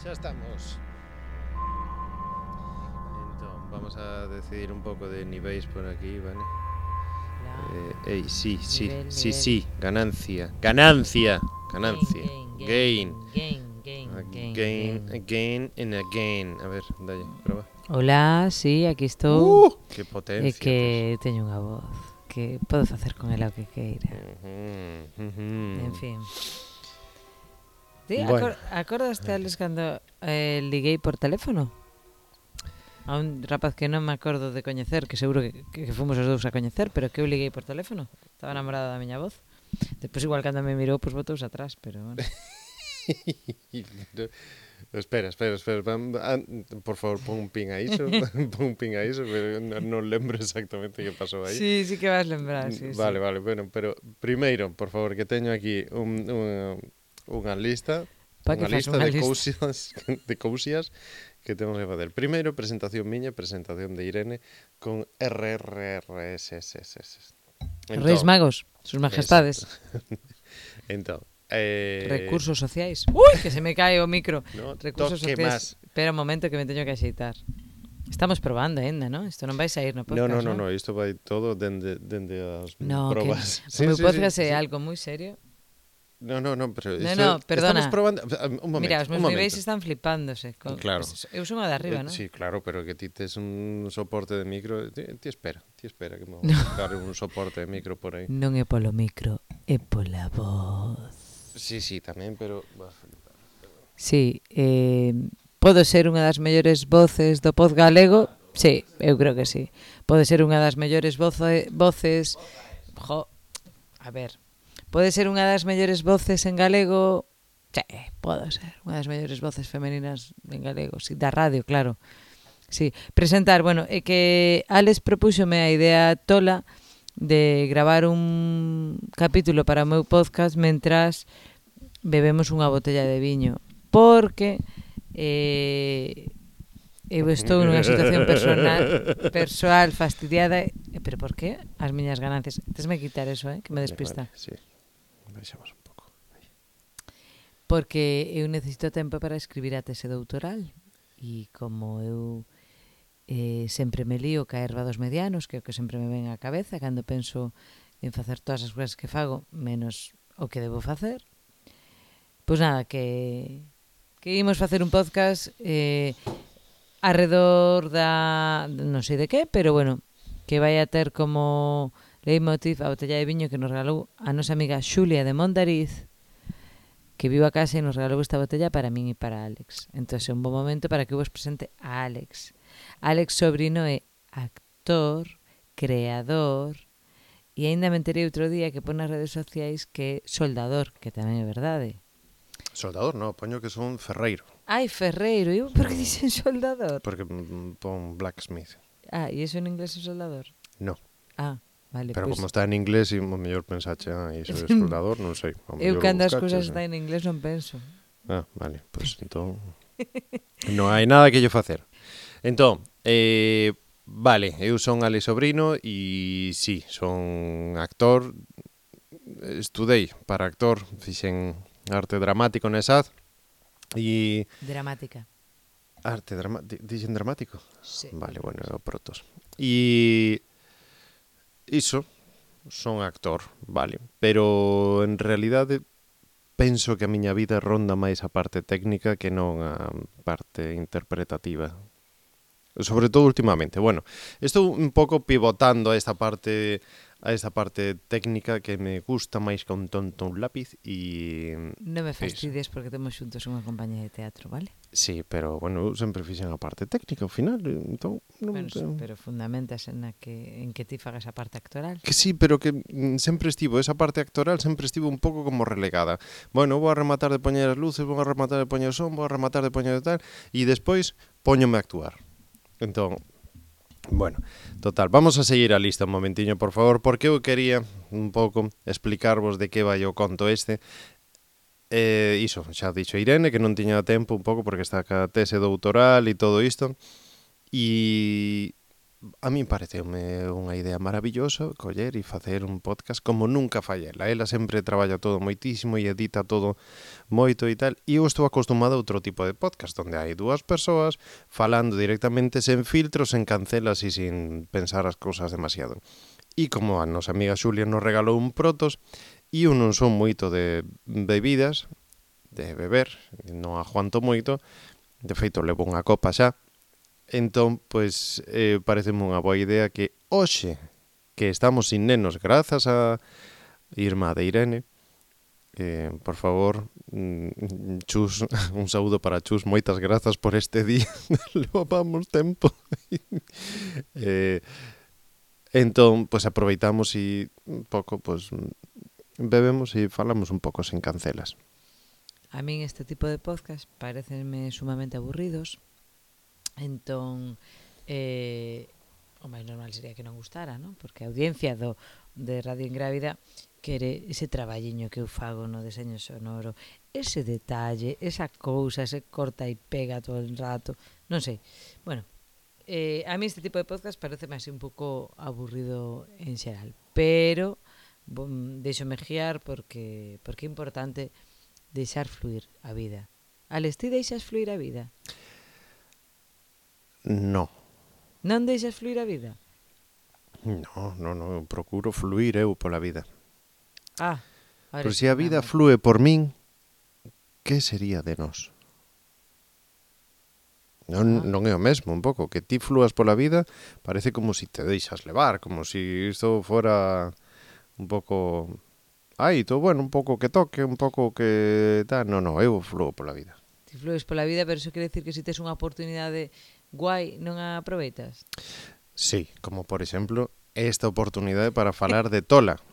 Xa estamos. Entón, vamos a decidir un pouco de niveis por aquí, vale? Sí, Nivel. ganancia. Ganancia. Gain. Again and again. A ver, dalle, proba. Hola, sí, aquí estou. Que É potencia. que teño unha voz que podo facer con ela o que queira. En fin. Ti Bueno. acordaste, Alex, cando liguei por teléfono? A un rapaz que non me acordo de coñecer, que seguro que fomos os dous a coñecer, pero que eu liguei por teléfono. Estaba enamorada da miña voz. Despois igual cando me mirou, pois botouse atrás, pero bueno. Espera. Por favor, pon un pin a iso. Pon un pin a iso, pero non lembro exactamente que pasou aí. Sí, sí que vas lembrar, sí, Vale, sí. bueno, pero primeiro, por favor, que teño aquí unha lista, Pa que unha faz lista unha de lista? cousias que temos que facer. Primeiro, presentación miña, presentación de Irene con RRRSSS. Reis Entón, Magos, sus exacto. majestades. Entón, Recursos sociais. Ui, que se me cae o micro. no Recursos toque sociais. máis. Espera un momento que me teño que axeitar. Estamos probando ainda, ¿no? Isto non vai sair no No, podcast, ¿no? isto vai todo dende as No, que probas. o meu podcast é Sí. algo moi serio. No, pero No, estamos perdona. probando. Un Mira, momento, os meus niveis están flipándose. Claro. Eu son a de arriba, ¿no? Sí, claro, pero que ti tes un soporte de micro. Ti espera que me vou No. buscar un soporte de micro por aí. Non é polo micro, é pola voz. Sí, tamén, pero vas a flipar. Sí, podo ser unha das mellores voces do pod galego? Sí, eu creo que sí. Pode ser unha das mellores voces... A ver, pode ser unha das mellores voces en galego? Sí, podo ser unha das mellores voces femeninas en galego, sí, da radio, claro. Sí, presentar, bueno, é que Alex propúxome a idea tola de gravar un capítulo para o meu podcast mentras bebemos unha botella de viño, porque eu estou nunha situación persoal fastidiada. Pero por qué? As miñas ganancias. Tesme quitar eso, que me despista. Vale, sí. Baixamos un pouco. Porque eu necesito tempo para escribir a tese doutoral. E como eu sempre me lío ca erva dos medianos, que é o que sempre me ven á cabeza cando penso en facer todas as cousas que fago, menos o que debo facer. Pois nada, que imos facer un podcast arredor da... non sei de que, pero bueno, que vai a ter como leitmotiv a botella de viño que nos regalou a nosa amiga Xulia de Mondariz, que viu a casa e nos regalou esta botella para min e para Alex. Entón é un bom momento para que eu vos presente a Alex. Alex Sobrino é actor, creador e aínda me enterei outro día que pon nas redes sociais que é soldador, que tamén é verdade. Soldador, no, poño que son ferreiro. Ai, ferreiro, eu por que dixen soldador? Porque pon blacksmith. Ah, e iso en inglés é soldador? No. Ah, vale, pero pues, como está en inglés, e o mellor pensache, iso é soldador, non sei. Eu cando as cousas están en inglés non penso. Ah, vale, pois entón non hai nada que lle facer. Entón, vale, eu son Alex Sobrino e sí, son actor. Estudei para actor, fixen arte dramático na ESAD e... Dramática. Arte dramático, dixen dramático? Sí. Vale, bueno, é o protos. E iso, son actor, vale, pero en realidade penso que a miña vida ronda máis a parte técnica que non a parte interpretativa. Sobre todo últimamente. Bueno, estou un pouco pivotando a esta parte técnica que me gusta máis que un tonto un lápiz e... Non me fastidies porque temos xuntos unha compañía de teatro, vale? Sí, pero, bueno, eu sempre fixen a parte técnica ao final, entón... Pero fundamentas en que ti fagas a parte actoral. Que sí, pero que sempre estivo, esa parte actoral sempre estivo un pouco como relegada. Bueno, vou a rematar de poñer as luces, vou a rematar de poñer o son, vou a rematar de poñer de tal, e despois póñome a actuar. Entón, bueno, total, vamos a seguir a lista un momentiño, por favor, porque eu quería un pouco explicarvos de que vai o conto este. Iso, xa dixo Irene, que non tiña tempo un pouco porque está ca tese doutoral e todo isto. E A mí pareceume unha idea maravillosa coller e facer un podcast como nunca fai ela. Ela sempre traballa todo moitísimo e edita todo moito e tal. E eu estou acostumado a outro tipo de podcast onde hai dúas persoas falando directamente sen filtros, sen cancelas e sin pensar as cousas demasiado. E como a nosa amiga Xulia nos regalou un protos e eu non son moito de bebidas, de beber, non aguanto moito. De feito, levo unha copa xa. Entón, pois, pareceme unha boa idea que hoxe, que estamos sin nenos grazas a Irma de Irene, por favor, Chus, un saúdo para Chus, moitas grazas por este día, levamos tempo. Entón, pois aproveitamos e un pouco, pois, bebemos e falamos un pouco sen cancelas. A min este tipo de podcast parecenme sumamente aburridos. Entón, o máis normal sería que non gustara, non? Porque a audiencia de Radio Ingrávida quere ese traballiño que eu fago no deseño sonoro, ese detalle, esa cousa, ese corta e pega todo el rato, non sei. Bueno, a mí este tipo de podcast pareceme así un pouco aburrido en xeral, pero deixome guiar porque é importante deixar fluir a vida. Alex, ti deixas fluir a vida? No. Non deixas fluir a vida? No, eu procuro fluir eu pola vida. Pero se a vida flúe por min, que sería de nós? Non é o mesmo, un pouco. Que ti flúas pola vida parece como si te deixas levar, como si isto fora un pouco... todo bueno, un pouco que toque, un pouco que... Non, eu flúo pola vida. Ti flues pola vida, pero iso quere decir que se tes unha oportunidade guai, non a aproveitas? Sí, como por exemplo, esta oportunidade para falar de Tola.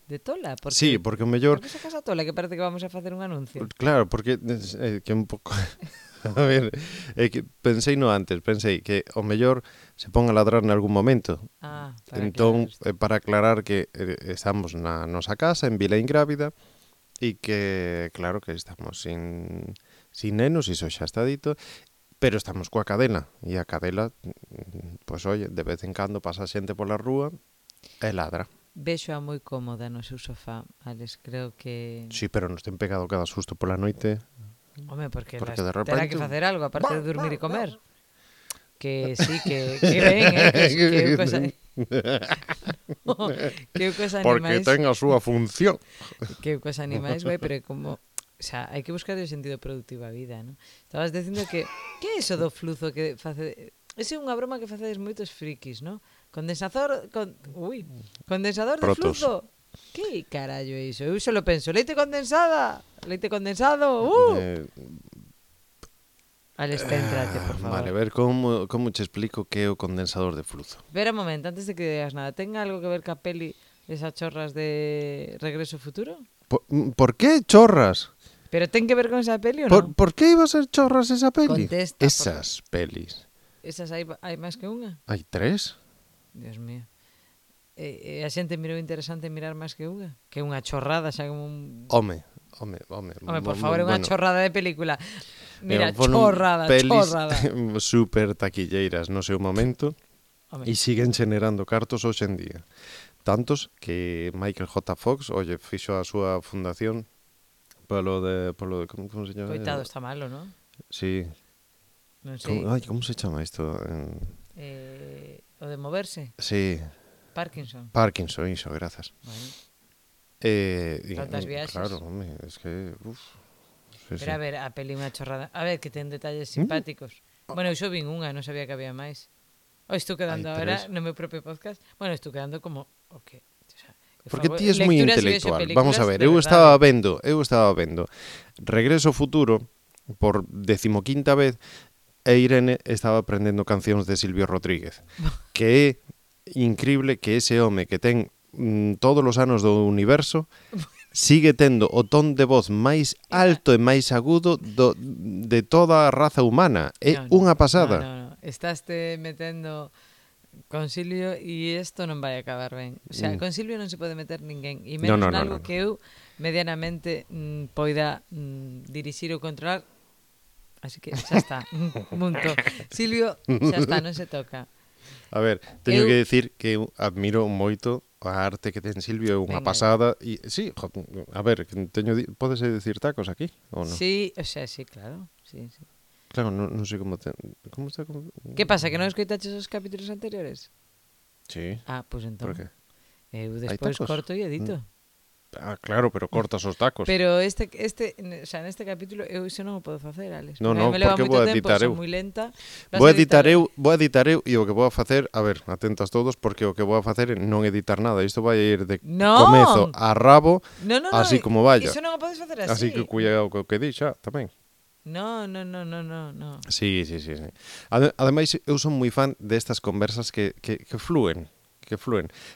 De Tola? Porque, sí, porque o mellor... Por que sacas a Tola, que parece que vamos a facer un anuncio? Claro, porque que un pouco... A ver, que pensei que o mellor se pon a ladrar en algún momento. Entón, para aclarar que estamos na nosa casa, en Vila Ingrávida, e que, claro, que estamos sin nenos, iso xa está dito, pero estamos coa cadela, e a cadela, pois, oye, de vez en cando pasa xente pola rúa e ladra. Vexo a moi cómoda no seu sofá, Alex, creo que... Sí, pero nos ten pegado cada susto pola noite. Home, porque de repente... terá que facer algo, aparte de dormir e comer. Que sí, que ben, que eu cosa... que eu cosa animais... Porque ten a súa función. Que eu cosa animais, vai, pero como... O sea, hai que buscar o sentido productivo a vida, non? Estabas dicindo que é iso do fluzo que face... Esa é unha broma que facedes moitos frikis, non? Condensador de Protos. fluzo. Que carallo é iso? Eu só lo penso, leite condensada, leite condensado. Alex, céntrate, por favor. Vale, a ver como te explico que é o condensador de fluzo. Espera un momento, antes de que digas nada, ten algo que ver ca peli esas chorras de Regreso ao Futuro? Por que chorras? Pero ten que ver con esa peli ou non? Por que iba a ser chorras esa peli? Contesta. Esas pelis. Esas hai máis que unha? Hai 3? Dios mío. A xente mirou interesante mirar máis que unha? Que unha chorrada, xa como un... Home, por favor, é unha chorrada de película. Mira, chorrada. Super taquilleiras no seu momento. E siguen generando cartos hoxe en día. Tantos que Michael J. Fox, fixo a súa fundación polo de como se chama? Coitado, está malo, ¿no? Sí. Non sei. Como se chama isto? O de moverse? Sí. Parkinson, iso, grazas. Tantas viaxes. Claro, home, es que... Sí. Pero a ver, a peli unha chorrada. A ver, que ten detalles simpáticos. Bueno, eu xo vin unha, non sabía que había máis. Estou quedando agora no meu propio podcast. Bueno, estou quedando como... Okay. O sea, porque ti es moi intelectual. Vamos a ver, eu estaba vendo Regreso ao Futuro por 15ª vez e Irene estaba aprendendo cancións de Silvio Rodríguez. Que é increíble que ese home que ten todos os anos do universo sigue tendo o ton de voz máis alto e máis agudo de toda a raza humana. É unha pasada. No. Estaste metendo con Silvio e isto non vai acabar ben. O sea, con Silvio non se pode meter ninguén. E menos nalgo que eu medianamente poida dirixir ou controlar. Así que xa está. Punto. Silvio, xa está, non se toca. A ver, teño Eu- que decir que eu admiro moito a arte que ten Silvio, é unha Venga. pasada e sí, a ver, que podes decir tacos aquí ou non? Sí, o sea, sí, claro. Sí, sí. Claro, non sei como está Que pasa, que non escoitaches os capítulos anteriores? Sí, Ah, pois por entón. que? Eu Hai despois tacos? corto e edito. Ah, claro, pero cortas os tacos. Pero o sea, neste capítulo eu iso non o podo facer, Alex. No, Porque a no, mí me leva porque moito vou a tempo, editar son eu. moi lenta. Vou editar eu e o que vou a facer, a ver, atentas todos, porque o que vou a facer é non editar nada. Isto vai ir de Non! comezo a rabo, No, así como vaya. Iso non o podes facer así. Así que cuidado co que di xa, tamén. No. No. Sí. Ademais, eu son moi fan destas conversas que flúen.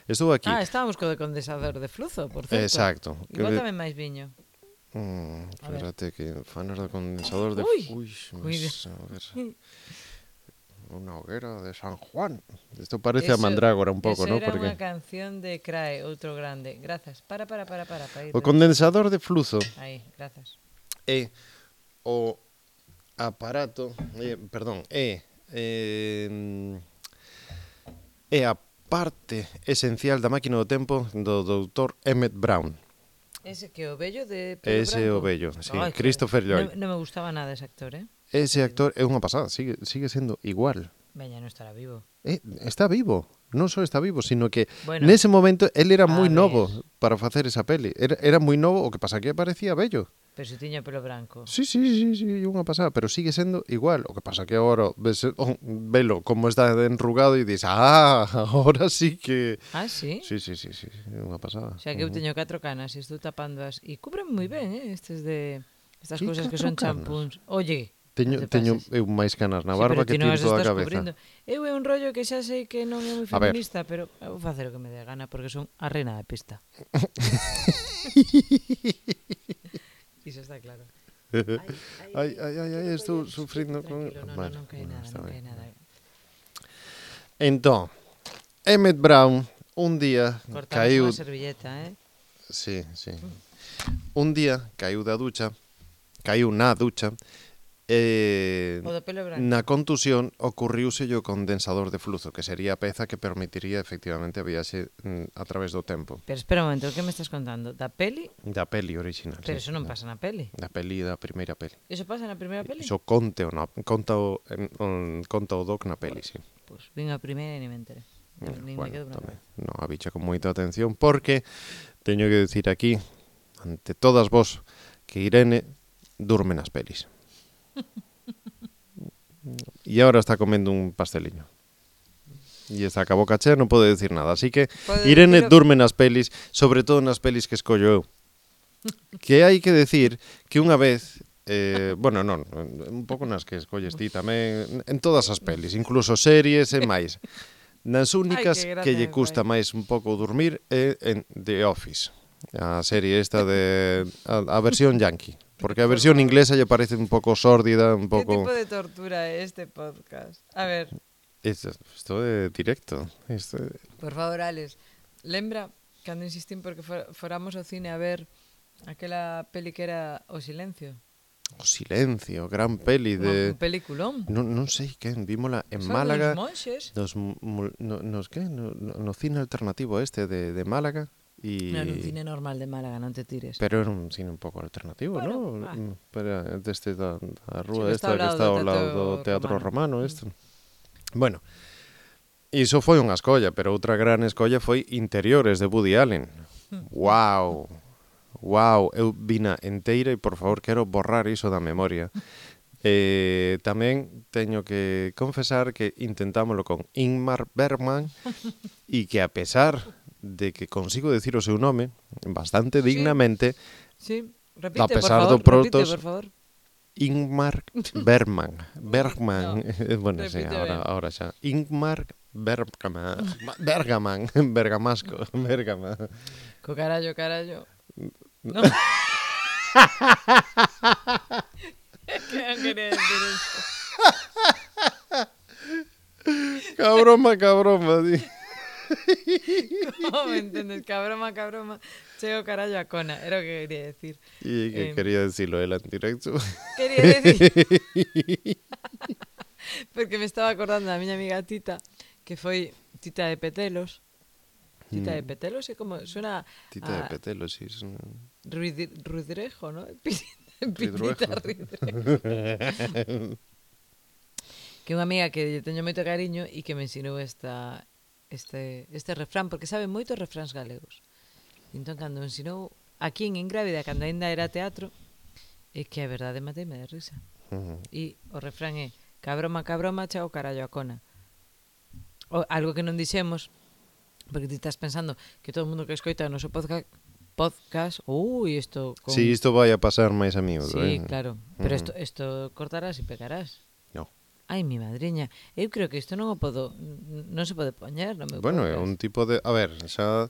Estou aquí. Ah, estábamos co de condensador de fluzo, por certo. Exacto. Igual tamén máis viño. A ver. Espérate, que fanos do condensador de... Ui, mas, a ver... Unha hoguera de San Juan. Isto parece a Eso- Mandrágora un pouco, eso ¿no? era Porque unha canción de Crae, outro grande. Grazas. Para ir. o condensador de fluzo Aí, grazas. é o aparato, é a parte esencial da máquina do tempo do doutor Emmett Brown. Ese que o vello de pelo Ese é o branco. vello, sí, Ai, que- Christopher Lloyd. Non me gustaba nada ese actor, Ese actor é unha pasada, sigue sendo igual. Veña, non estará vivo. Está vivo, non só está vivo, sino que Bueno, nese momento él era a moi ver. novo para facer esa peli. Era moi novo, o que pasa que parecía bello. pero se tiña pelo branco. Sí, unha pasada, pero sigue sendo igual. O que pasa que agora velo como está enrugado e dis, agora sí que... Ah, sí? Sí, unha pasada. O sea, que eu teño 4 canas e estou tapándoas e cubren moi ben, estas Que cousas que 4 son canas? champúns. Oye, Teño non te pases. eu máis canas na Sí, barba pero que ti non tiro as toda a estás cabeza. cubrindo. Eu é un rollo que xa sei que non é moi A ver. feminista, pero eu vou facer o que me dé a gana porque son a reina da pista. Iso está claro. Ai, estou sufrindo con... Tranquilo, Vale, non cae nada, está non ben. cae nada. Entón, Emmett Brown un día Cortamos caiu... unha servilleta, Sí. Un día caiu na ducha e O do pelo branco. na contusión ocurriuse o condensador de fluzo, que sería a peza que permitiría efectivamente a viaxe a través do tempo. Pero espera un momento, o que me estás contando? Da peli? Da peli original. Pero sí. eso non pasa na peli. Da primeira peli. Eso pasa na primeira peli? Iso conta o doc na peli, sí. Pois vin a primeira e ni me enteré. Nin me quedo bravo. tamén. No, a bicha con moita atención, porque teño que decir aquí, ante todas vos, que Irene durme nas pelis. E agora está comendo un pasteliño. E está a boca chea, non pode decir nada. Así que Pode Irene decir- durme nas pelis, sobre todo nas pelis que escollo eu. Que hai que decir que unha vez... bueno, non, un pouco nas que escolles ti tamén, en todas as pelis, incluso series e máis. Nas únicas Ai, que gracia que lle me custa fai. máis un pouco dormir é en The Office. A serie esta de... a versión yankee. Porque a versión inglesa lle parece un pouco sórdida, un Que pouco... tipo de tortura é este podcast? A ver, Isto é directo. Isto é... por favor, Alex, lembra cando insistín porque foramos ao cine a ver aquela peli que era O Silencio? O silencio, gran peli de... Un peliculón. Non sei quen, vímola en Son Málaga... dos monxes. No cine alternativo este de Málaga. Non, un cine normal de Málaga, non te tires. Pero era un cine un pouco alternativo, Bueno, ¿no? Pero deste da rúa Sí, que esta está ao que lado está do ao lado do Teatro Teatro Romano, Romano. isto. Bueno, iso foi unha escolla, pero outra gran escolla foi Interiores de Woody Allen. Wow. Eu vina enteira e por favor quero borrar iso da memoria. Tamén teño que confesar que intentámoslo con Ingmar Bergman e que a pesar de que consigo decir o seu nome bastante dignamente, Sí, repite, a pesar por favor, do protos- repite, por favor. Ingmar Bergman. No, Bueno, sí, repite ben. ahora xa. Ingmar Bergman, Bergamasco, Bergama. Co carallo. No. Que non quería decir eso. Cabroma, di. ¿Cómo me entendes? Cabroma. Chego carallo a cona, era o que quería decir. E que quería decirlo él en directo. Quería decir... Porque me estaba acordando da miña amiga Tita, que foi Tita de Petelos. Tita de Petelos é como suena Tita de Petelos, sí. Ruidrejo, ¿no? Ridruejo. Pitita Ridrejo. Que unha amiga que lle teño moito cariño e que me ensinou este refrán, porque sabe moitos refráns galegos. Entón, cando me ensinou aquí en Ingrávida, cando ainda era teatro, é que a verdade mateime de risa. E o refrán é cabroma, cabroma, chao carallo a cona. Algo que non dixemos, porque ti estás pensando que todo o mundo que escoita o noso podcast, isto con... Sí, isto vai a pasar máis a miúdo, Sí, claro, pero isto cortarás e pegarás. No. Ai, mi madriña, eu creo que isto non o podo, non se pode poñer no meu Bueno, podcast. é un tipo de... A ver, xa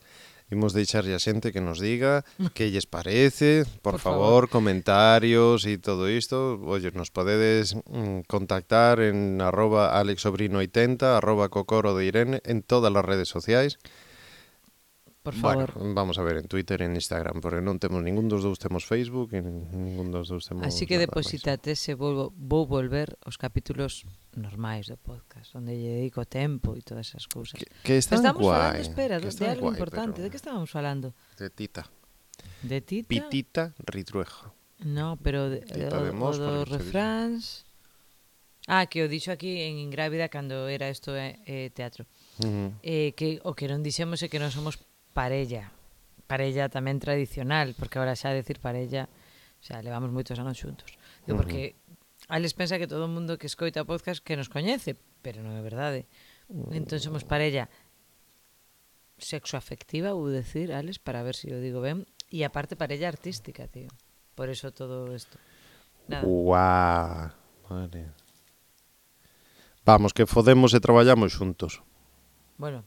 imos deixarlle a xente que nos diga que lles parece, por favor, comentarios e todo isto. Oye, nos podedes contactar en @alexsobrino80, @cocoro de Irene, en todas as redes sociais. Por favor. Bueno, vamos a ver, en Twitter, en Instagram, porque non temos ningún dos dous temos Facebook e ningún dos dous temos... Así que deposítate se vou volver os capítulos normais do podcast, onde lle dedico tempo e todas esas cousas. Que están Estamos guai. falando, espera, que de están algo guai, importante. pero... De que estábamos falando? De Tita. De Tita? Pitita Ridruejo. No, pero Tita de o Mos, dos porque se refráns... que o dixo aquí en Ingrávida cando era isto teatro. Que o que non dixemos é que non somos parella tamén tradicional, porque agora xa decir parella, xa levamos moitos anos xuntos. Porque Alex pensa que todo o mundo que escoita o podcast que nos coñece, pero non é verdade. Entón somos parella sexoafectiva, vou decir, Alex, para ver se o digo ben, e aparte parella artística, tío. Por eso todo isto. Nada. Guau, vale. Vamos, que fodemos e traballamos xuntos. Bueno,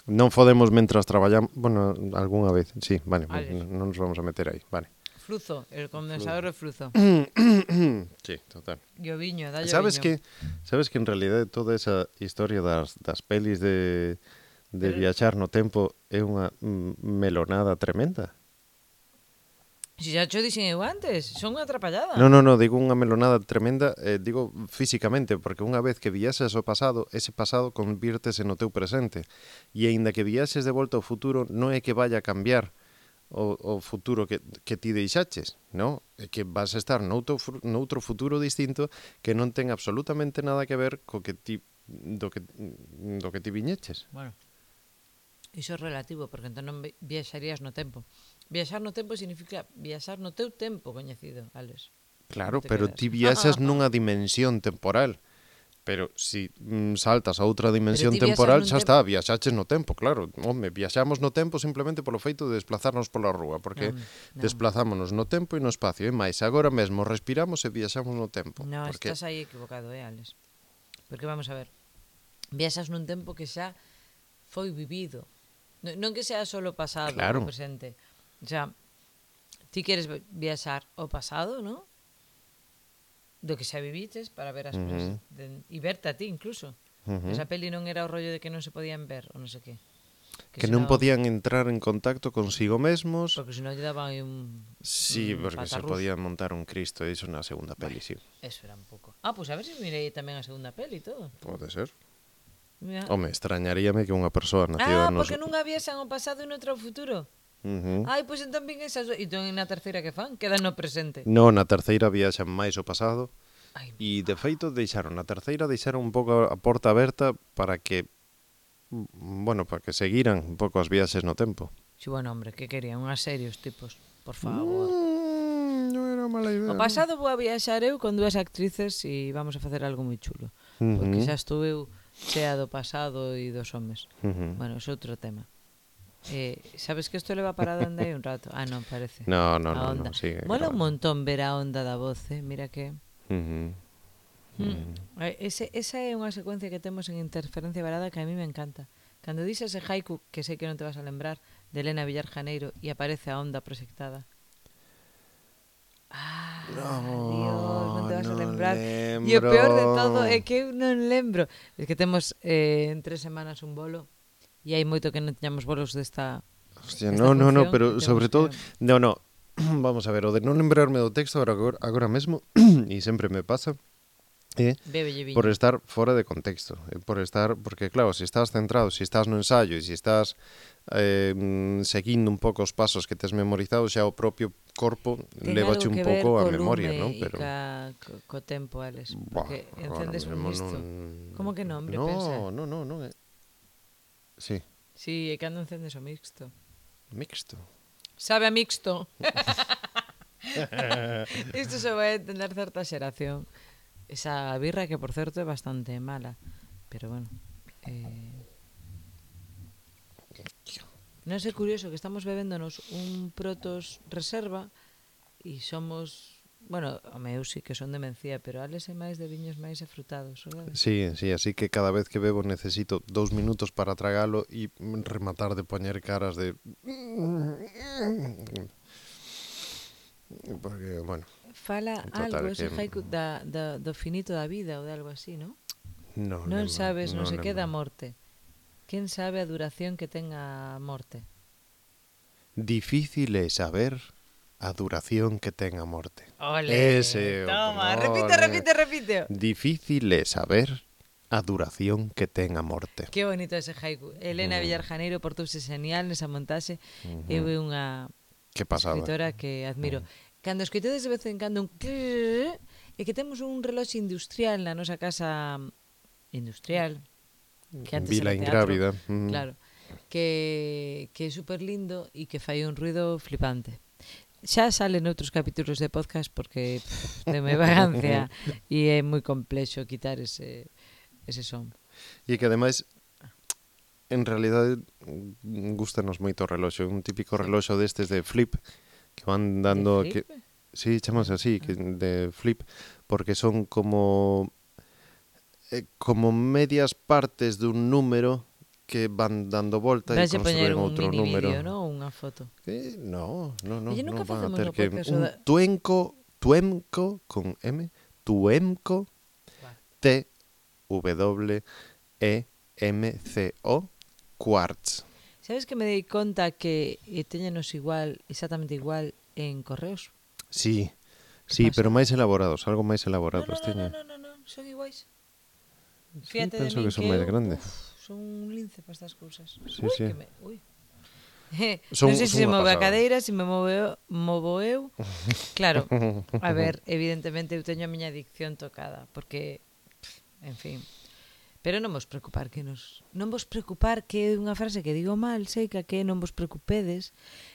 non fodemos mentras traballamos, bueno, algunha vez, sí, vale, non nos vamos a meter aí, vale. Fluzo, el condensador de fluzo. Sí, total. E o viño, dallo Sabes viño. sabes que en realidade toda esa historia das pelis de viaxar no tempo é unha melonada tremenda? Si xa cho dixen eu antes, son unha atrapallada. No, digo unha melonada tremenda, digo físicamente, porque unha vez que viaxes ao pasado, ese pasado convírtese no teu presente. E aínda que viaxes de volta ao futuro, non é que vaya a cambiar o futuro que ti deixaches, non? É que vas a estar noutro futuro distinto que non ten absolutamente nada que ver co que ti do que ti viñeches. Bueno, iso é relativo, porque entón non viaxarías no tempo. Viaxar no tempo significa viaxar no teu tempo coñecido, Alex. Claro, pero ti viaxas nunha dimensión temporal. Pero si saltas a outra dimensión temporal, xa está, viaxaches no tempo, claro. Home, viaxamos no tempo simplemente polo feito de desplazarnos pola rúa, porque desplazámonos no tempo e no espacio, e máis, agora mesmo respiramos e viaxamos no tempo. No, porque... estás aí equivocado, Alex. Porque vamos a ver, viaxas nun tempo que xa foi vivido. Non que sea solo pasado ou presente. O sea, ti queres viaxar ao pasado, ¿no? Do que xa viviches para ver as cousas e verte a ti incluso. Esa peli non era o rollo de que non se podían ver ou non sei que. Que non podían entrar en contacto consigo mesmos. Porque senón lle daban un Sí, porque se podían montar un Cristo, iso na segunda peli, sí. Eso era un pouco. Pues a ver se mirei tamén a segunda peli e todo. Pode ser. Mira. Home, extrañaríame que unha persoa nacida porque nunha viaxan ao pasado e noutro ao futuro. Pois entón vin esas... E entón na terceira que fan? Quedan no presente. No, na terceira viaxan máis ao pasado. E de feito deixaron un pouco a porta aberta para que para que seguiran un pouco as viaxes no tempo. Sí, bueno, hombre, que querían? Unhas series tipos, por favor. Non era mala idea. O pasado vou a viaxar eu con dúas actrices e vamos a facer algo moi chulo. Porque xa estou eu chea do pasado e dos homes. Bueno, é outro tema. Sabes que isto leva parado anda aí un rato? Non, parece. No, sigue. Mola un montón ver a onda da voz, mira que... Esa é unha secuencia que temos en Interferencia Varada que a mí me encanta. Cando dices ese haiku, que sei que non te vas a lembrar, de Elena Villar Janeiro, e aparece a onda proxectada. Dios, non te vas a lembrar. E o peor de todo é que eu non lembro. É que temos en 3 semanas un bolo. E hai moito que non teñamos bolos desta... Hostia, no, pero sobre todo... No, vamos a ver, o de non lembrarme do texto agora mesmo, e sempre me pasa, É Bébelle por viño. estar fora de contexto, porque claro, se estás centrado, se estás no ensayo e se estás seguindo un pouco os pasos que tes memorizados, xa o propio corpo Ten lévache algo un que ver pouco a co memoria, lume non? e Pero co tempo, Alex. buah, Porque agora encendes un mesmo non. mixto. Como que non, hombre, pensa? Non é. Sí, Si, é cando encendes o mixto. mixto. Sabe a mixto. Isto se vai entender certa xeración. Esa birra que, por certo, é bastante mala. Pero bueno. Non sei, curioso que estamos bebéndonos un Protos Reserva e somos... Bueno, home, eu sí que son de mencía, pero Alex é máis de viños máis afrutados, sabes? Sí, sí, así que cada vez que bebo necesito 2 minutos para tragalo e rematar de poñer caras de... Porque, bueno, Fala algo total, ese que haiku do finito da vida ou de algo así, non? non Non lembro, sabes non non se queda lembro. a morte. Quen sabe a duración que ten a morte? Difícil é saber a duración que ten a morte. Ole, Ese, toma, repite, ole. repite, repite. Difícil é saber a duración que ten a morte. Que bonito ese haiku. Elena Villar Janeiro portouse genial nesa montaxe. Eu é unha Que pasada. escritora que admiro. Cando escoitedes de vez en cando un crrr, é que temos un reloxo industrial na nosa casa industrial, que antes Vila era teatro, Ingrávida. claro, que é super lindo e que fai un ruido flipante. Xa sale noutros capítulos de podcast porque deme vagancia e é moi complexo quitar ese son. E que ademais en realidade gustanos moito o reloxo, un típico Sí. reloxo destes de flip que van De dando flip? sí, chamase así, que de flip, porque son como medias partes dun número que van dando volta e Vais a poñer construen un outro mini número. vídeo, non? Unha foto. No, Oye, nunca van a facemos ter no que podcast un tuemco con M, tuemco Vale. T W E M C O quartz. Sabes que me dei conta que teñenos igual, exactamente igual en correos? Sí, Que sí, pero pasada. máis elaborados, algo máis No, elaborados teñen. son iguais. Sí, Fíjate de penso min que son que máis eu, grandes. son un lince para estas cousas. Sí, Ui, sí. que me... Ui. Son Non sei se se unha move a pasada. cadeira, se me movo eu. Claro, a ver, evidentemente eu teño a miña adicción tocada, porque, en fin. Pero non vos preocupar que non vos preocupar que é unha frase que digo mal, sei que non vos preocupedes,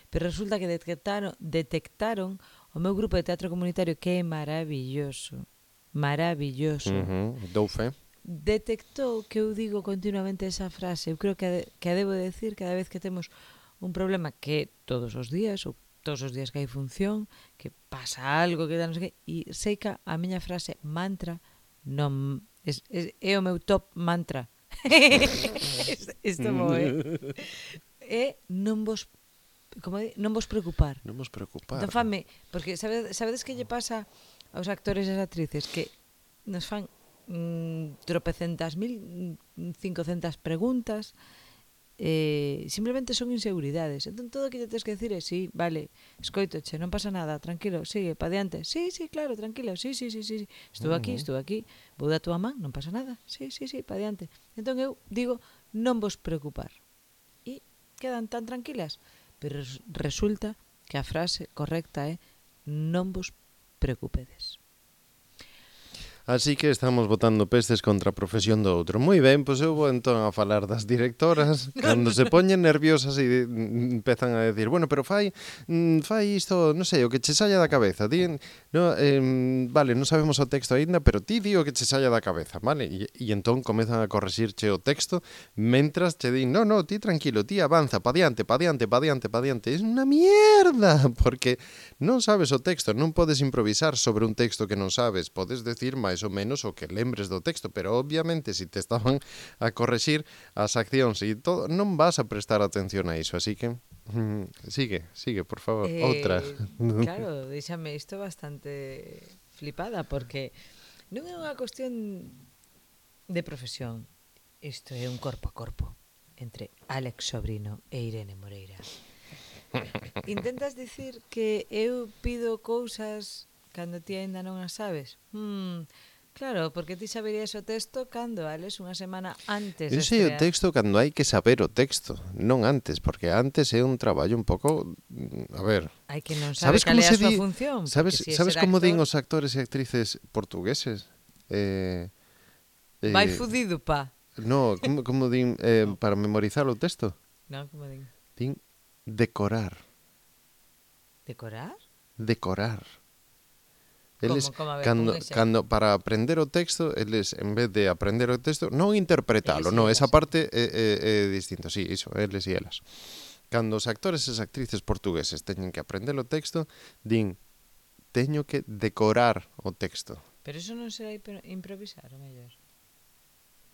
pero resulta que detectaron o meu grupo de teatro comunitario que é maravilloso. Maravilloso. Dou fe. Detectou que eu digo continuamente esa frase. Eu creo que a debo decir cada vez que temos un problema que todos os días, ou todos os días que hai función, que pasa algo, que non sei que, e sei que a miña frase mantra non é o meu top mantra. Isto moe. É non vos non vos preocupar. Non vos preocupar. Entón fame, porque sabedes que lle pasa aos actores e as actrices que nos fan tropecentas mil, 500 preguntas, simplemente son inseguridades. Entón todo o que te tens que decir é sí, vale, escoitoche, non pasa nada, tranquilo, sigue, pa diante. Sí, claro, tranquilo, sí. Estou aquí, vou da túa man, non pasa nada. Sí, pa diante. Entón eu digo, non vos preocupar. E quedan tan tranquilas. Pero resulta que a frase correcta é non vos preocupedes. Así que estamos botando pestes contra a profesión do outro. Moi ben, pois eu vou entón a falar das directoras cando se poñen nerviosas e empezan a decir, bueno, pero fai isto, non sei, o que che saia da cabeza. Vale, non sabemos o texto aínda, pero ti di o que che saia da cabeza, vale? E entón comezan a correxirche o texto mentras che din, no, ti tranquilo, ti avanza, pa diante. É unha mierda, porque non sabes o texto, non podes improvisar sobre un texto que non sabes, podes decir máis ou menos o que lembres do texto, pero obviamente se te estaban a correxir as accións e todo, non vas a prestar atención a iso, así que sigue, por favor, outra. Claro, deixame isto bastante flipada, porque non é unha cuestión de profesión, isto é un corpo a corpo entre Alex Sobrino e Irene Moreira. Intentas dicir que eu pido cousas cando ti aínda non as sabes? Claro, porque ti saberías o texto cando ales unha semana antes de Eu sei o estrear. texto cando hai que saber o texto, non antes, porque antes é un traballo un pouco, a ver, Hai que non sabe sabes cal como é a se súa di, función, porque sabes se é sabes ser como din actor, os actores e actrices portugueses? vai Eh, fudido, pa. no, como din No, para memorizar o texto? non, como din. Din decorar, Decorar? decorar. Eles, Como, a ver, pon un exemplo. cando para aprender o texto, eles, en vez de aprender o texto, non Eles interpretalo, e no, esa elas. parte é distinto, sí, iso, eles e elas. Cando os actores e as actrices portugueses teñen que aprender o texto, din, teño que decorar o texto. Pero eso non será improvisar, o mellor.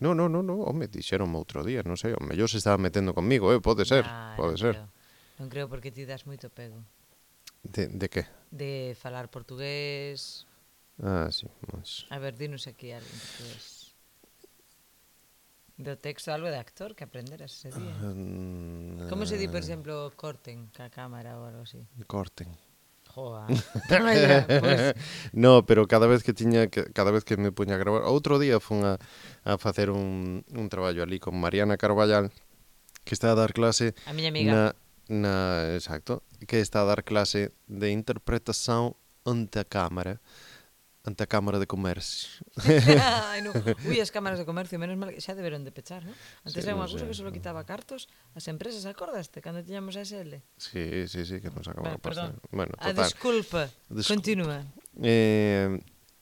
No, home, dixeronme outro día, non sei, o mellor se estaba metendo comigo, pode ser, Non pode ser. creo. Non creo porque ti das moito pego. De que? De falar portugués. Ah, sí, pues... A ver, dinos aquí algo en portugués. Do texto algo de actor que aprenderas ese día. Como se di, por exemplo, corten ca cámara ou algo así? Corten. Joa. Vaya, pues, No, pero cada vez que cada vez que me puña a gravar, outro día fun a facer un traballo ali con Mariana Carballal, que está a dar clase a miña amiga. exacto, que está a dar clase de interpretación ante a Cámara de Comercio. Ai, no. Ui, as cámaras de comercio, menos mal que xa deberon de pechar, non? Antes Sí, era non unha cousa sei. que só quitaba cartos as empresas, acordaste? Cando tiñamos a SL. Sí, que nos acaba de pasar. Perdón. Bueno, A total. desculpa. Continúa.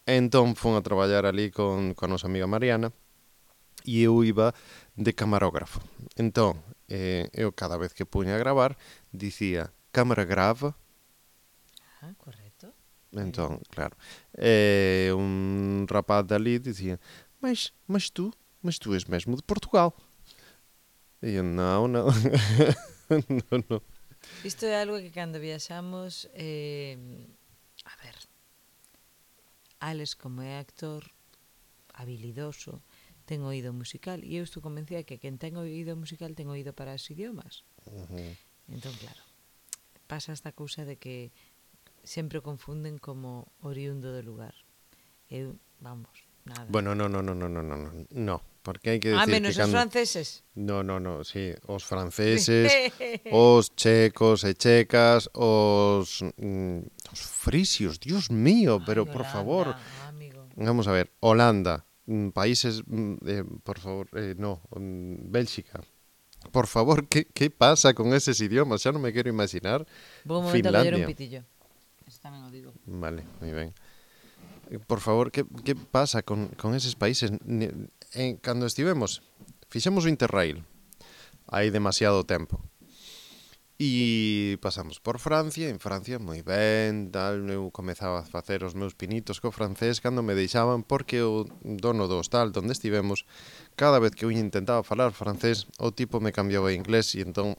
Entón fun a traballar ali con a nosa amiga Mariana e eu iba de camarógrafo. Entón, eu cada vez que puña a gravar dicía cámara grava. Ah, correcto. Entón, claro, un rapaz dali dicía mas tu és mesmo de Portugal. E eu, non. Non. Isto é algo que cando viaxamos a ver, Alex como é actor habilidoso, ten oído musical e eu estou convencida que quen ten oído musical ten oído para os idiomas. Entón, claro, pasa esta cousa de que sempre o confunden como oriundo do lugar. Eu, vamos, nada. Bueno, no, porque hai que decir Menos que os cando... franceses. No, sí, os franceses, os checos e checas, os frisios, Dios mío, pero por favor, amigo. vamos a ver, Holanda, países, por favor, no, Bélxica. Por favor, ¿qué pasa con esos idiomas? Xa non me quero imaginar. Vou un momento a coller un Finlandia. pitillo. Eso tamén o digo. Vale, moi ben. Por favor, ¿qué pasa con esos países? Cando estivemos, fixemos o Interrail, hai demasiado tempo. E pasamos por Francia, en Francia moi ben, tal, eu comezaba a facer os meus pinitos co francés cando me deixaban porque o dono do hostal onde estivemos, cada vez que eu intentaba falar francés, o tipo me cambiaba a inglés e entón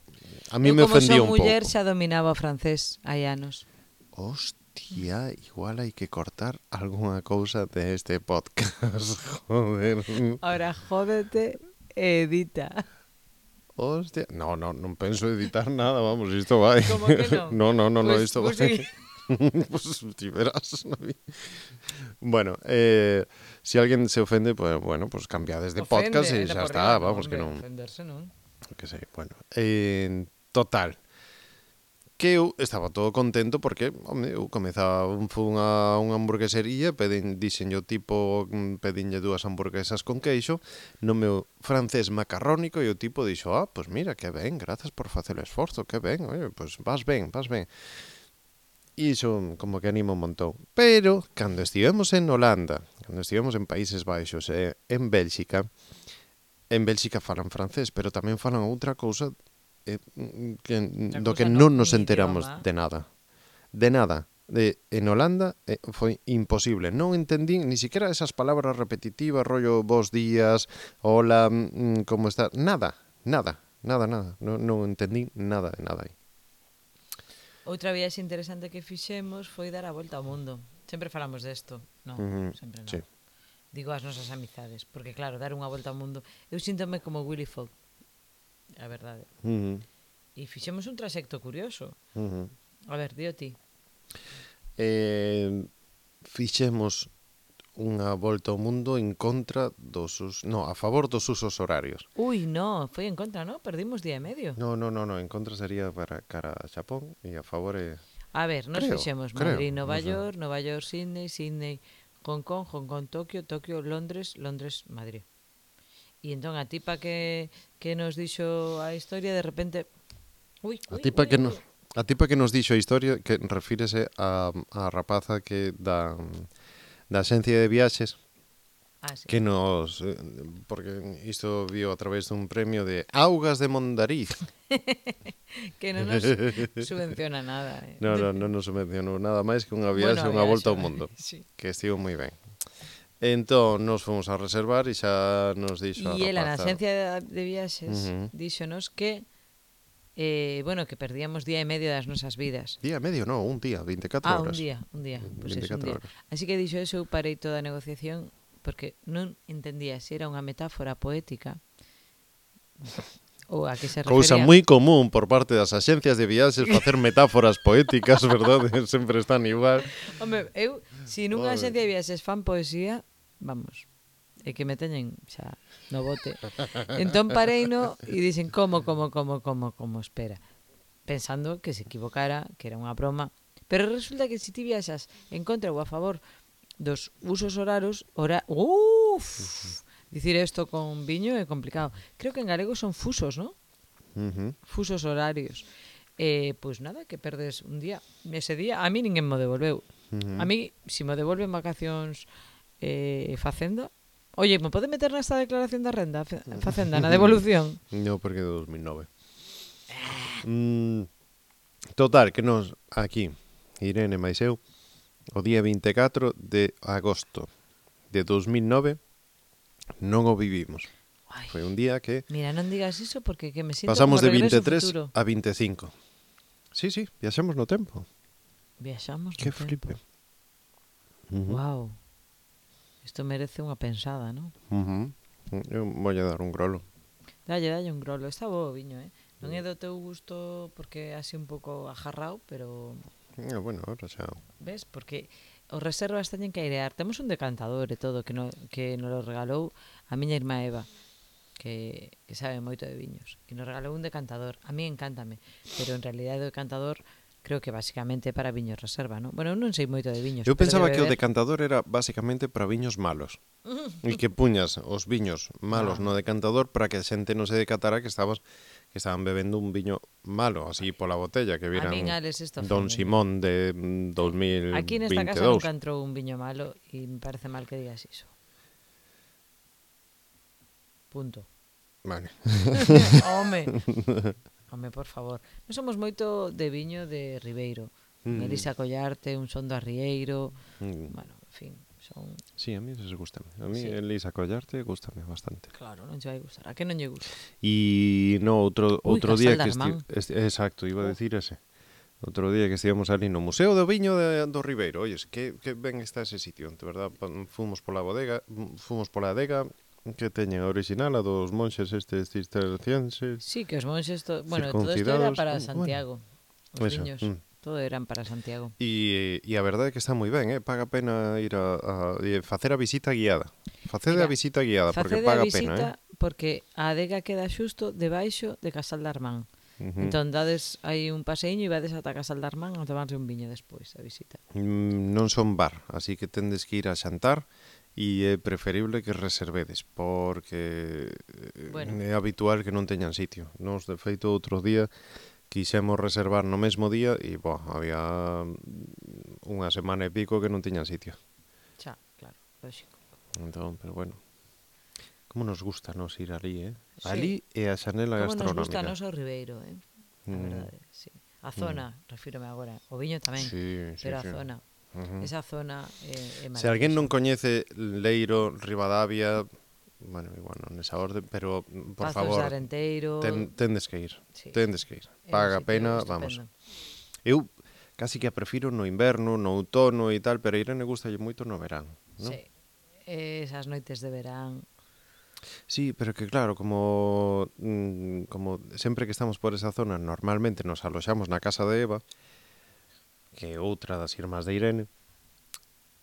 a mí Eu me como ofendía son un muller pouco. xa dominaba o francés hai anos. Hostia, igual hai que cortar algunha cousa de este podcast, joder. Ahora jódete e edita. Hostia, non penso editar nada, vamos, isto vai. Como que non? No, Pues, isto pues vai. sí. Pues ti verás. Bueno, si alguén se ofende, pues bueno, pues cambiades de podcast e xa está, vamos, que non. Ofenderse non. Que sei, bueno. Total, que eu estaba todo contento porque, home, eu comezaba fun a unha hamburguesería, dixenlle o tipo, pedinlle 2 hamburguesas con queixo, no meu francés macarrónico, e o tipo dixo, pues mira, que ben, grazas por facer o esforzo, que ben, oye, pues vas ben. E iso como que anima un montón. Pero, cando estivemos en Holanda, cando estivemos en Países Baixos e en Bélxica falan francés, pero tamén falan outra cousa do que non nos enteramos de nada. De nada. En Holanda foi imposible. Non entendín ni siquiera esas palabras repetitivas, rollo bos días, hola, como está, nada. Non entendín nada de nada aí. Outra viaxe interesante que fixemos foi dar a volta ao mundo. Sempre falamos desto. Non, sempre non. Sí. Digo as nosas amizades, porque claro, dar unha volta ao mundo, eu síntome como Willy Fogg. A verdade. E fixemos un traxecto curioso. A ver, dio ti. Fixemos unha volta ao mundo en contra a favor dos usos horarios. Ui, no, foi en contra, ¿no? Perdimos día e medio. No, en contra sería para cara a Xapón e a favor é... A ver, nos fixemos Madrid, no sé. Nova York, Sydney, Sydney, Hong Kong, Tokio, Tokio, Londres, Londres, Madrid. E entón a tipa que nos dixo a historia de repente... A tipa que nos dixo a historia que refírese a rapaza que da axencia de viaxes sí. que nos... porque isto vio a través dun premio de Augas de Mondariz. Que non nos subvenciona nada. Non nos subvencionou nada máis que unha viaxe, unha volta ao mundo. Sí. Que estivo moi ben. Entón, nos fomos a reservar e xa nos dixo a rapaza... E ela na axencia de viaxes díxonos que bueno, que perdíamos día e medio das nosas vidas. Día e medio, non, un día, 24 horas. Un día. Pues 24 un día. horas. Así que dixo eso, eu parei toda a negociación porque non entendía se era unha metáfora poética ou a que se refería. Cousa moi común por parte das axencias de viaxes facer metáforas poéticas, verdade? Sempre están igual. Home, eu, se nunha axencia de viaxes fan poesía, vamos, é que me teñen xa no bote. Entón pareino e dixen como, espera. Pensando que se equivocara, que era unha broma. Pero resulta que se ti viaxas en contra ou a favor dos usos horarios, dicir isto con viño é complicado. Creo que en galego son fusos, ¿no? Fusos horarios. Pois nada, que perdes un día. Ese día, a mí ninguén me devolveu. A mí, se me devolven vacacións facenda, oye, me pode meter nesta declaración da renda facenda, na devolución? No, porque é de 2009. Total, que nos, aquí, Irene máis eu, o día 24 de agosto de 2009 non o vivimos. Ai, foi un día que... Mira, non digas iso porque que me sinto pasamos como de Regreso 23 a 25. Sí, viaxamos no tempo. Viaxamos Que no flipe. Tempo. Wow. Isto merece unha pensada, non? Eu vou dar un grolo. Dalle un grolo. Está bo o viño, Non é do teu gusto porque é así un pouco ajarrao, pero... Bueno, ahora xa... Ves? Porque os reservas teñen que airear. Temos un decantador e todo que nos lo regalou a miña irmá Eva, que sabe moito de viños. E nos regalou un decantador. A mí encántame, pero en realidade o decantador creo que basicamente para viños reserva, non? Bueno, eu non sei moito de viños. Eu pensaba que o decantador era basicamente para viños malos. E que puñas os viños malos no decantador para que a xente non se decatara que estaban bebendo un viño malo, así pola botella, que viran Don Simón de 2022. Aquí nesta casa nunca entrou un viño malo e me parece mal que digas iso. Punto. Vale. Home, por favor. Non somos moito de viño de Ribeiro. Elisa Collarte, un Son do Arrieiro. Bueno, en fin, son... Sí, a mí se gusta. A mí Elisa Collarte gustame bastante. Claro, non che vai gustar. A que non lle gusta? E no, outro día que exacto, iba a decir ese. Outro día que estivemos ali no Museo do Viño do Ribeiro. Oyes, que ben está ese sitio, de verdad. Fomos pola adega que teñen a original, a dos monxes estes cistercienses. Sí, que os monxes, bueno, todo isto era para Santiago. Os viños, todo eran para Santiago. E a verdade é que está moi ben, paga pena ir a facer a visita guiada. Facede a visita guiada, porque paga pena, porque a adega queda xusto debaixo de Casal de Armán. Entón dades aí un paseiño e vades ata Casal de Armán a tomarse un viño despois a visita. Non son bar, así que tendes que ir a xantar e é preferible que reservedes porque é habitual que non teñan sitio. Nos, de feito, outro día quixemos reservar no mesmo día e había unha semana e pico que non tiñan sitio. Xa, claro, lógico. Entón, pero bueno, como nos gusta nos ir ali, ali é a xanela gastronómica. Como nos gusta nos o Ribeiro, a verdade, sí. A zona, refírome agora, o viño tamén, pero a zona. Esa zona é maravillosa. Se alguén non coñece Leiro, Ribadavia, bueno, igual non nesa orde, pero por Pazos favor, de Arenteiro, tendes que ir. Paga pena, vamos. Eu casi que a prefiro no inverno, no outono e tal, pero a Irene gustalle moito no verán, non? Sí, esas noites de verán. Sí, pero que claro, como sempre que estamos por esa zona, normalmente nos aloxamos na casa de Eva, que é outra das irmás de Irene,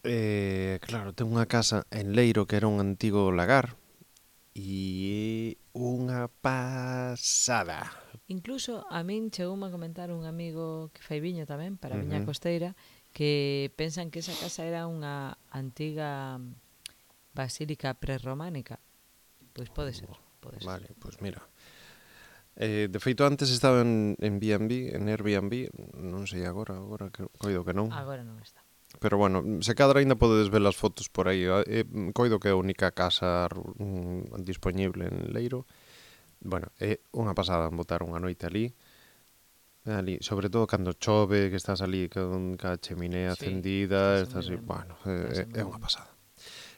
Claro, ten unha casa en Leiro que era un antigo lagar e unha pasada. Incluso a min chegoume a comentar un amigo que fai viño tamén para a Viña Ujú. Costeira que pensan que esa casa era unha antiga basílica prerrománica. Pois pode ser, pode ser. Vale, pois mira. De feito, antes estaba en B&B, en Airbnb, non sei agora que, coido que non. Agora non está. Pero bueno, se cadra ainda podedes ver as fotos por aí. Coido que é a única casa disponible en Leiro. Bueno, é unha pasada botar unha noite ali. Ali, sobre todo cando chove, que estás ali con a cheminea Sí, encendida, estáse moi estás aí, ben. bueno, Estáse é moi unha ben. pasada.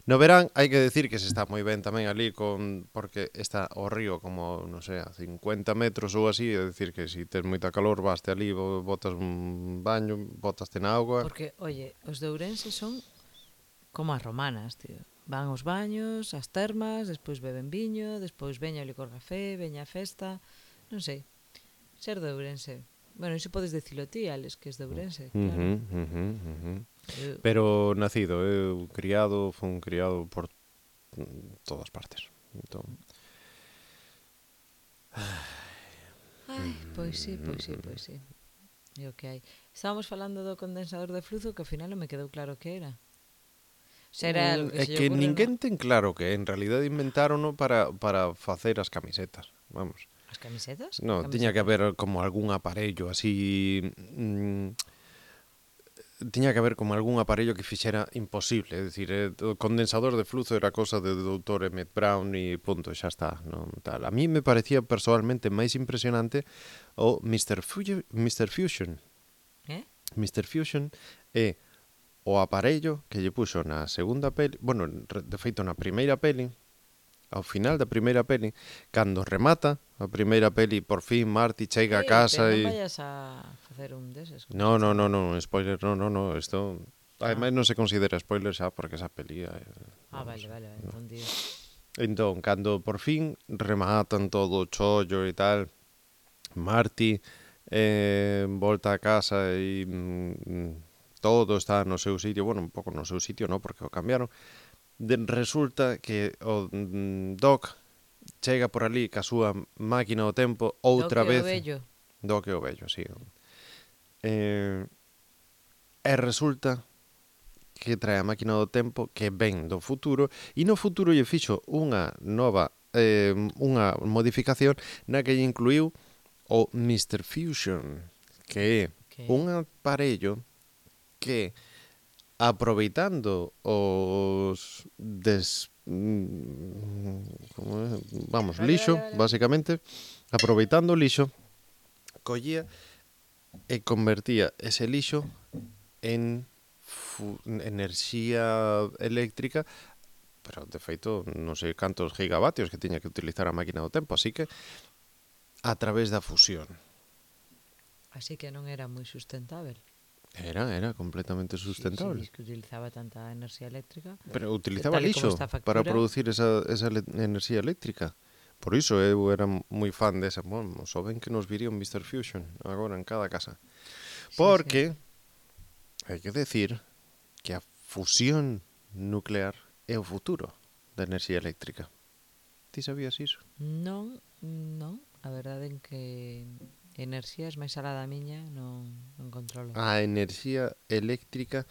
No verán hai que decir que se está moi ben tamén ali porque está o río como, non sei, a 50 metros ou así, é dicir que se tes moita calor vaste ali, botas un baño, botaste na auga. Porque, oye, os de Ourense son como as romanas, tío. Van aos baños, ás termas, despois beben viño, despois veña o licor café, veña a festa, non sei. Ser de Ourense. Bueno, iso podes dicilo ti, Alex, que es de Ourense, claro. Uh -huh, uh -huh, uh -huh. Eu, Pero nacido, eu criado, fun criado por todas partes. Entón, ai, pois sí, pois sí, pois sí. É o que hai. Estábamos falando do condensador de flujo que ao final non me quedou claro que era. Se era algo que é se lle que ocurre no... ninguén ten claro que en realidad inventarono para facer as camisetas. Vamos. As camisetas? Que No, tiña que camisetas? haber como algún aparello así... tiña que haber como algún aparello que fixera imposible, é dicir, o condensador de flujo era cosa de doutor Emmett Brown e punto, xa está, non tal. A mí me parecía personalmente máis impresionante o Mr. Fusion. Eh? Mr. Fusion é o aparello que lle puxo na segunda peli, bueno, de feito na primeira peli, ao final da primeira peli, cando remata a primeira peli, por fin Marty chega a Pero casa non e... vayas a facer un deses, como No, se no, no, chama. no, spoiler, no, no, no, isto... Ah, Ademais non se considera spoiler xa porque esa peli... vale, vamos, vale, vale, no. entendido. Entón, cando por fin rematan todo o chollo e tal, Marty volta a casa e todo está no seu sitio, bueno, un pouco no seu sitio, no, porque o cambiaron. Resulta que o Doc chega por ali ca súa máquina do tempo Do outra que o vez. vello. Doc é o vello, sí. E resulta que trae a máquina do tempo que ven do futuro e no futuro lle fixo unha nova unha modificación na que lle incluiu o Mr. Fusion, que é Que? un aparello que aproveitando os como é? Vamos, Vale, vale, lixo, vale, vale. basicamente, aproveitando o lixo, collía e convertía ese lixo en enerxía eléctrica, pero de feito non sei cantos gigavatios que tiña que utilizar a máquina do tempo, así que a través da fusión. Así que non era moi sustentável. Era completamente Si sustentable. dis que utilizaba tanta enerxía eléctrica, Pero que utilizaba tal e como lixo está a para factura, producir esa enerxía eléctrica. Por iso eu era moi fan desa. Bueno, só ben que nos viría un Mr. Fusion agora en cada casa. sí, sí. Porque hai que decir que a fusión nuclear é o futuro da enerxía eléctrica. Ti sabías iso? Non, non, a verdade en que enerxías máis alá da miña non controlo. A enerxía eléctrica,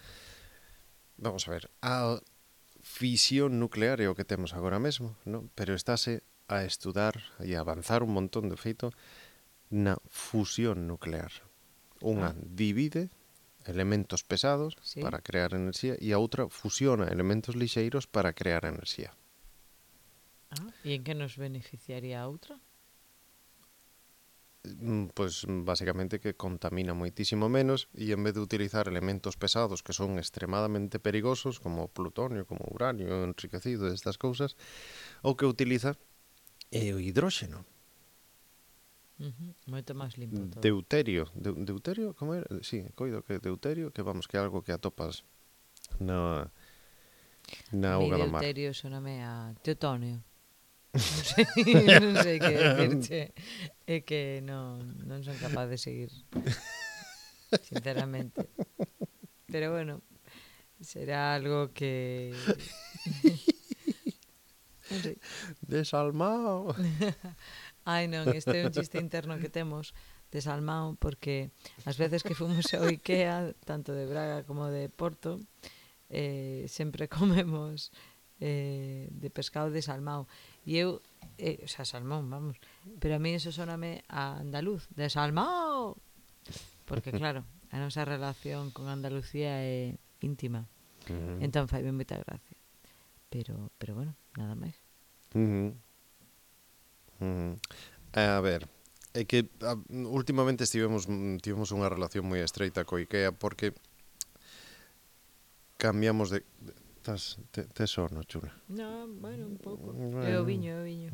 vamos a ver, a fisión nuclear é o que temos agora mesmo, non? Pero estáse a estudar e a avanzar un montón de feito na fusión nuclear. Unha Ah, divide elementos pesados sí. para crear enerxía e a outra fusiona elementos lixeiros para crear enerxía. Ah, e en que nos beneficiaría a outra? Pois basicamente que contamina moitísimo menos e en vez de utilizar elementos pesados que son extremadamente perigosos como plutonio, como uranio enriquecido destas cousas, o que utiliza é o hidróxeno. Moito máis limpo todo. Deuterio, como era? Sí, coido que deuterio, que vamos, que é algo que atopas na A mí auga do mar. deuterio soname a teutonio. Non sei que decirche. É que non son capaz de seguir, sinceramente. Pero bueno, será algo que... non sei. Desalmao. Ai non, este é un chiste interno que temos de Salmao, porque as veces que fomos ao Ikea, tanto de Braga como de Porto, sempre comemos de pescado de salmao. E eu, o sea, salmón, vamos, pero a mí eso soname a andaluz, de salmao, porque claro, a nosa relación con Andalucía é íntima, entón fai ben moita gracia. Pero bueno, nada máis. A ver, é que últimamente tivemos unha relación moi estreita co IKEA porque cambiamos de... Tes sono, chula? No, bueno, un pouco. Bueno. É o viño, é o viño.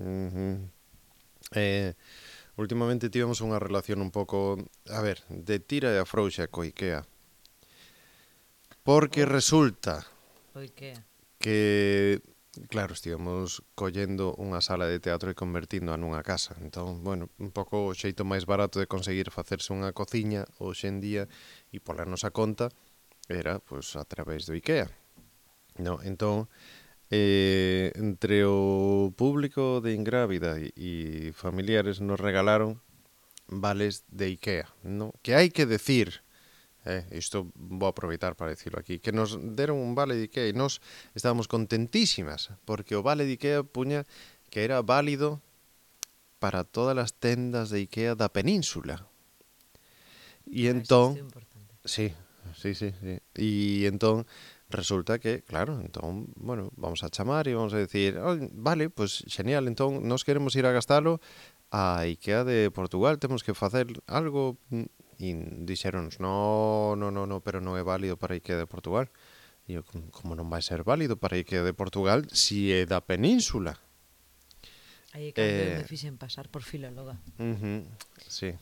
Últimamente tivemos unha relación un pouco, a ver, de tira e afrouxa co IKEA. Porque resulta O Ikea. que, claro, estivemos collendo unha sala de teatro e convertindo nunha casa. Entón, bueno, un pouco o xeito máis barato de conseguir facerse unha cociña hoxe en día e pola nosa conta era, pois, a través do IKEA. No, entón, entre o público de Ingrávida e familiares nos regalaron vales de IKEA, no? Que hai que decir, isto vou aproveitar para decirlo aquí, que nos deron un vale de IKEA e nos estábamos contentísimas, porque o vale de IKEA puña que era válido para todas as tendas de IKEA da península. E entón, sí. E entón resulta que, claro, entón, bueno, vamos a chamar e vamos a decir, oh, vale, pues genial, entón nos queremos ir a gastalo a IKEA de Portugal, temos que facer algo. E dixéronos, no, pero non é válido para IKEA de Portugal. E eu, como non vai ser válido para IKEA de Portugal si é da península? Aí cando eu me fixen pasar por filóloga. Sí,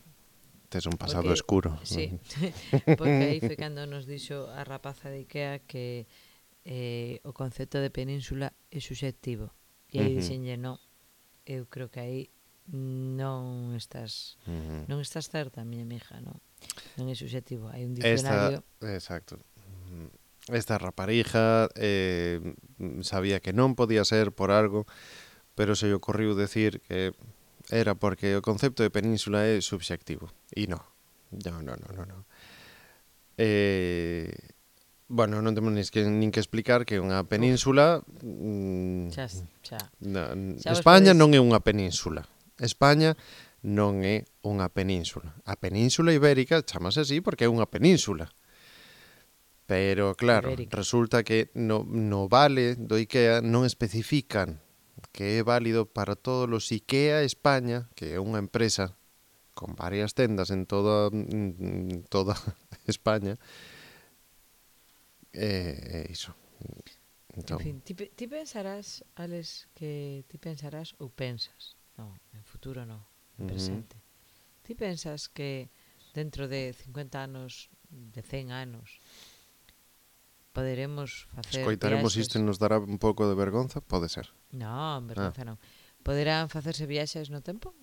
tes un pasado escuro. Sí, porque aí foi cando nos dixo a rapaza de IKEA que o concepto de península é subxectivo. E aí dixenlle, non, eu creo que aí non estás certa, miña mija, non é subxectivo, hai un diccionario. Exacto. Esta raparija sabía que non podía ser por algo, pero se lle ocorriu decir que era porque o concepto de península é subxectivo. E non. Bueno, non temos nin que explicar que unha península... España non é unha península. España non é unha península. A península ibérica chamase así porque é unha península. Pero, claro, resulta que no vale do IKEA non especifican que é válido para todos os IKEA España, que é unha empresa con varias tendas en toda España. Iso. Entón, en fin, ti pensarás, Alex, que ti pensarás ou pensas, non, en futuro non, en presente. Ti pensas que dentro de 50 anos, de 100 anos, poderemos facer escoitaremos viaxes... isto e nos dará un pouco de vergonza? Pode ser. Non, vergonza non. Poderán facerse viaxes no tempo?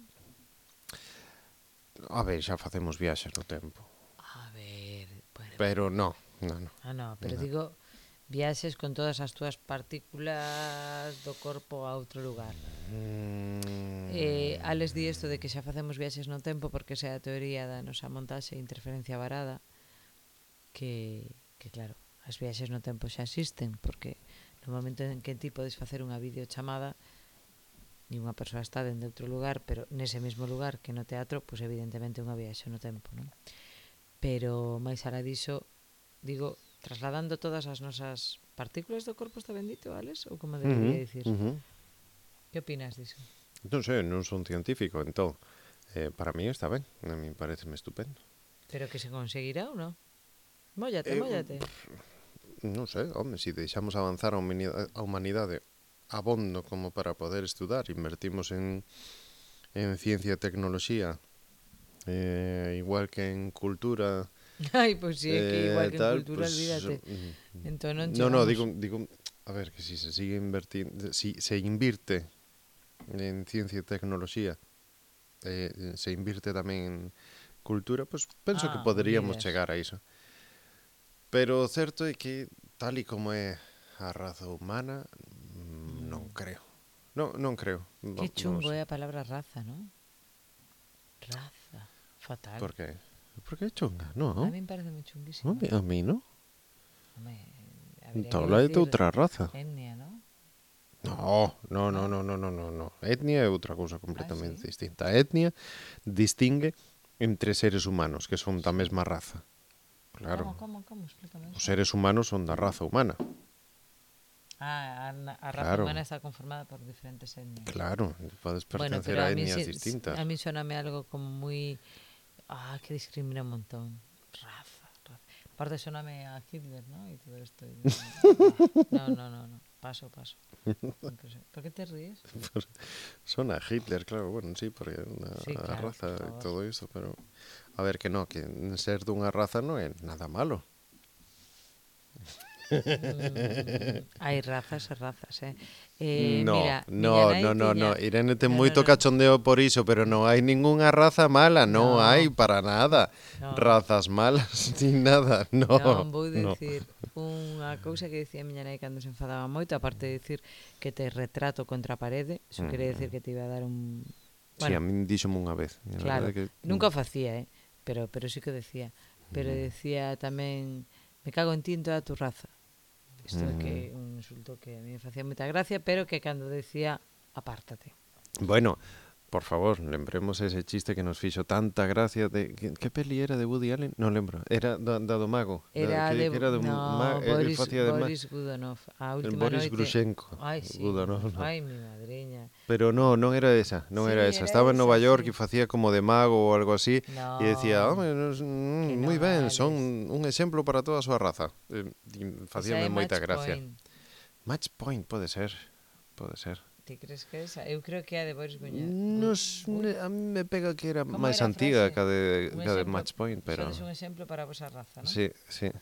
A ver, xa facemos viaxes no tempo. A ver... Bueno, pero non. Pero digo... Viaxes con todas as túas partículas do corpo a outro lugar. Ales di isto de que xa facemos viaxes no tempo porque esa é a teoría da nosa montaxe e interferencia varada que claro, as viaxes no tempo xa existen porque no momento en que ti podes facer unha videochamada e unha persoa está dentro de outro lugar, pero nese mesmo lugar que no teatro, pois evidentemente unha viaxe no tempo, non? Pero máis alá diso, digo, trasladando todas as nosas partículas do corpo, está ben dito, Alex? Ou como debería dicir? Que opinas diso? Non sei, non son científico, entón, para mí está ben, a mí pareceme estupendo. Pero que se conseguirá ou non? Móllate. Non sei, home, se deixamos avanzar a humanidade abondo como para poder estudar, invertimos en ciencia e tecnoloxía, igual que en cultura... Ai, pois si, é que igual que en cultura, pues, olvídate. Entón non chegamos. Digo, a ver, que si se sigue invertindo, si se invirte en ciencia e tecnoloxía, se invirte tamén en cultura, pues penso que poderíamos chegar a iso. Pero o certo é que tal e como é a raza humana, non creo. Non creo. Que Non chungo sei. é a palabra raza, non? Raza. Fatal. Por que? Por que chunga? A Non. min parece moi chunguísima. A mí non. Home, habería Entón, que lá é de decir outra raza. etnia, non? No. Etnia é outra cousa completamente sí? distinta. A etnia distingue entre seres humanos, que son da Sí. mesma raza. Claro. Como? Explícame Os eso. seres humanos son da raza humana. A raza Claro. humana está conformada por diferentes etnias. Claro, podes Bueno, pertencer pero a a mí, etnias sí, distintas. a mí soname algo como muy... que discrimina un montón. Raza. Aparte soname a Hitler, ¿no? Y todo esto. No. Paso. ¿Por qué te ríes? Son a Hitler, claro, bueno, sí, porque Sí, a claro, raza por e favor. todo iso, pero a ver que no, que ser dunha raza non é nada malo. Hai razas e razas, No, mira, miña nai tiña... Irene ten No. moito cachondeo por iso, pero non hai ningunha raza mala, non No. hai para nada. No. Razas malas, ni nada, Non no. vou dicir unha cousa que dicía miña nai cando se enfadaba moito, aparte de dicir que te retrato contra a parede, iso quere dicir que te iba a dar un... Sí, a min díxome unha vez. A Claro, verdade que... nunca o facía, pero sí que o decía. Pero decía tamén, me cago en ti en toda tu raza. Isto é que un insulto que a mí me facía moita gracia, pero que cando decía, apártate. Bueno, por favor, lembremos ese chiste que nos fixo tanta gracia de... Que peli era de Woody Allen? Non lembro. Era da do mago. Era de... Que era do No, el facía de Boris Godunov. A última Boris noite... Grushenko. Ai, sí. Godunov, no. Ai, mi madriña. Pero non era esa, Sí, era esa. era Estaba en esa, Nova York sí. e facía como de mago ou algo así No, e decía, que moi non, ben, Alex. son un exemplo para toda a súa raza. E facíame Esa é moita Match gracia. Point. Match Point pode ser. Ti crees que esa? Eu creo que é a de Boris Guña. A mí me pega que era Como máis era a antiga frase? que a de Match Point, pero... Sodes un exemplo para a vosa raza, non? Sí. É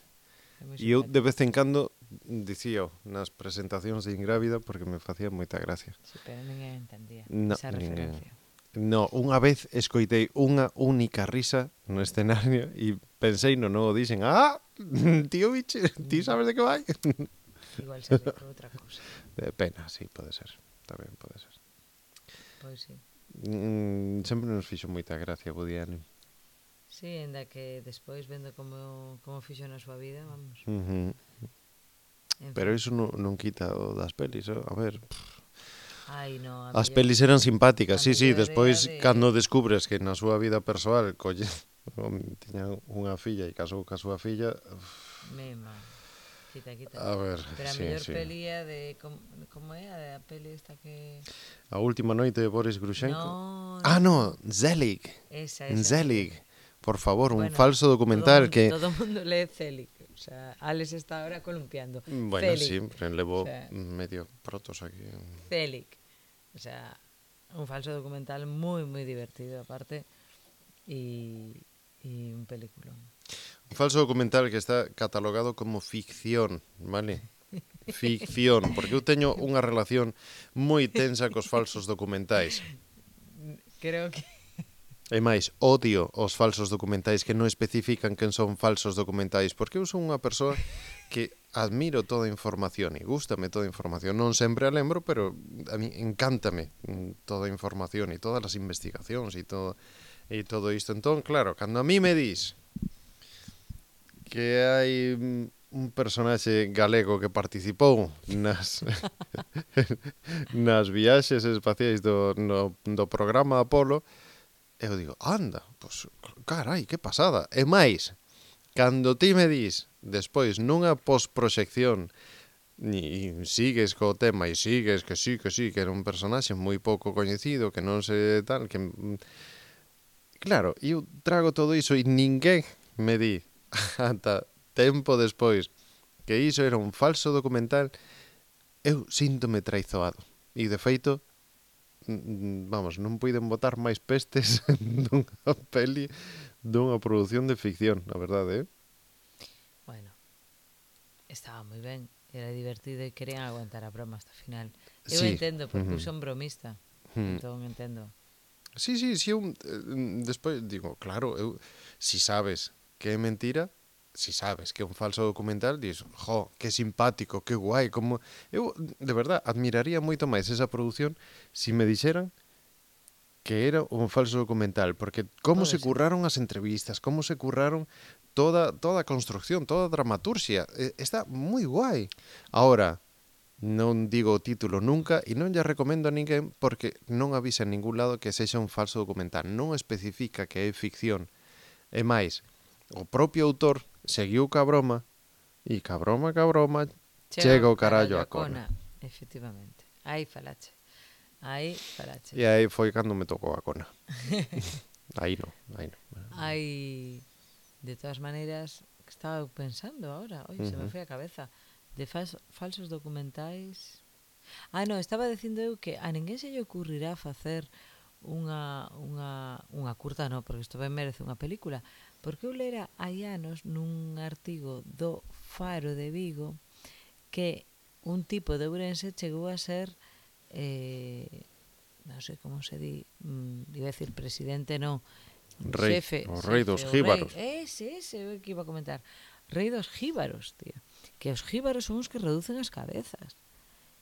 moi E eu de simpático. vez en cando dicíao nas presentacións de Ingrávida porque me facía moita gracia. Sí, pero ninguén entendía No, esa ninguén. referencia. No, unha vez escoitei unha única risa no escenario e pensei no dixen, tío biche, ti sabes de que vai? Igual se ríe por outra cousa. De pena, sí, pode ser. Tamén pode ser. Pois sí. Sempre nos fixo moita gracia Woody Allen. Sí, ainda que despois vendo como fixo na súa vida, vamos. En Pero iso non quita o das pelis, a ver. Ai, no, As pelis eran simpáticas, sí, despois de... cando descubres que na súa vida persoal tiña unha filla e casou ca súa filla, Mema. Quita. a ver, Pero a sí, mellor sí. peli é de... Como é a peli esta que... A última noite de Boris Grushenko. No. Zelig. Esa. Zelig. Por favor, un Bueno, falso documental que... Todo o mundo lee Zelig. O sea, Alex está ahora columpiando. Bueno, Zelig. sí, levo O sea, medio protos aquí. Zelig. O sea, un falso documental moi divertido aparte e un peliculón. Un falso documental que está catalogado como ficción, vale? Ficción, porque eu teño unha relación moi tensa cos falsos documentais. Creo que... E máis, odio os falsos documentais que non especifican quen son falsos documentais, porque eu son unha persoa que admiro toda a información e gústame toda a información. Non sempre a lembro, pero a mí encántame toda a información e todas as investigacións e todo isto. Entón, claro, cando a mí me dis que hai un personaxe galego que participou nas viaxes espaciais do programa Apolo, eu digo, anda, pois, carai, que pasada. E máis, cando ti me dis, despois, nunha postproxección, e sigues co tema, e sigues que sí, que era un personaxe moi pouco coñecido, que non se tal, que... Claro, eu trago todo iso e ninguén me di, ata tempo despois, que iso era un falso documental, eu síntome traizoado. E, de feito, vamos, non puiden botar máis pestes dunha peli, dunha produción de ficción, a verdade, Bueno, estaba moi ben, era divertido e querían aguantar a broma hasta o final. Eu Sí. entendo, porque eu son bromista, entón entendo. Sí, eu despois digo, claro, si sabes que é mentira, si sabes que é un falso documental, dis, jo, que simpático, que guai, como... Eu, de verdad, admiraría moito máis esa produción si me dixeran que era un falso documental, porque como Pode se ser. curraron as entrevistas, como se curraron toda a construcción, toda a dramaturxia, está moi guai. Ahora, non digo o título nunca e non lle recomendo a ninguén porque non avisa en ningún lado que sexa un falso documental, non especifica que é ficción. E máis, o propio autor seguiu ca broma e ca broma, Chega chega o o carallo carallo a a cona. cona, efectivamente. Aí falache. Aí E falaches. aí foi cando me tocou a cona. Aí non, aí non. Hai, de todas maneiras, que estaba eu pensando ahora, oi, se me foi a cabeza, de falsos documentais. Ah, no, estaba dicindo eu que a ninguén se lle ocurrirá facer unha curta, no, porque isto ben merece unha película, porque eu lera hai anos nun artigo do Faro de Vigo que un tipo de Ourense chegou a ser non sei como se di, iba a decir presidente, non, Rei, o rei dos o rei, jíbaros. ese é o que iba a comentar, rei dos jíbaros, tío, que os jíbaros son os que reducen as cabezas.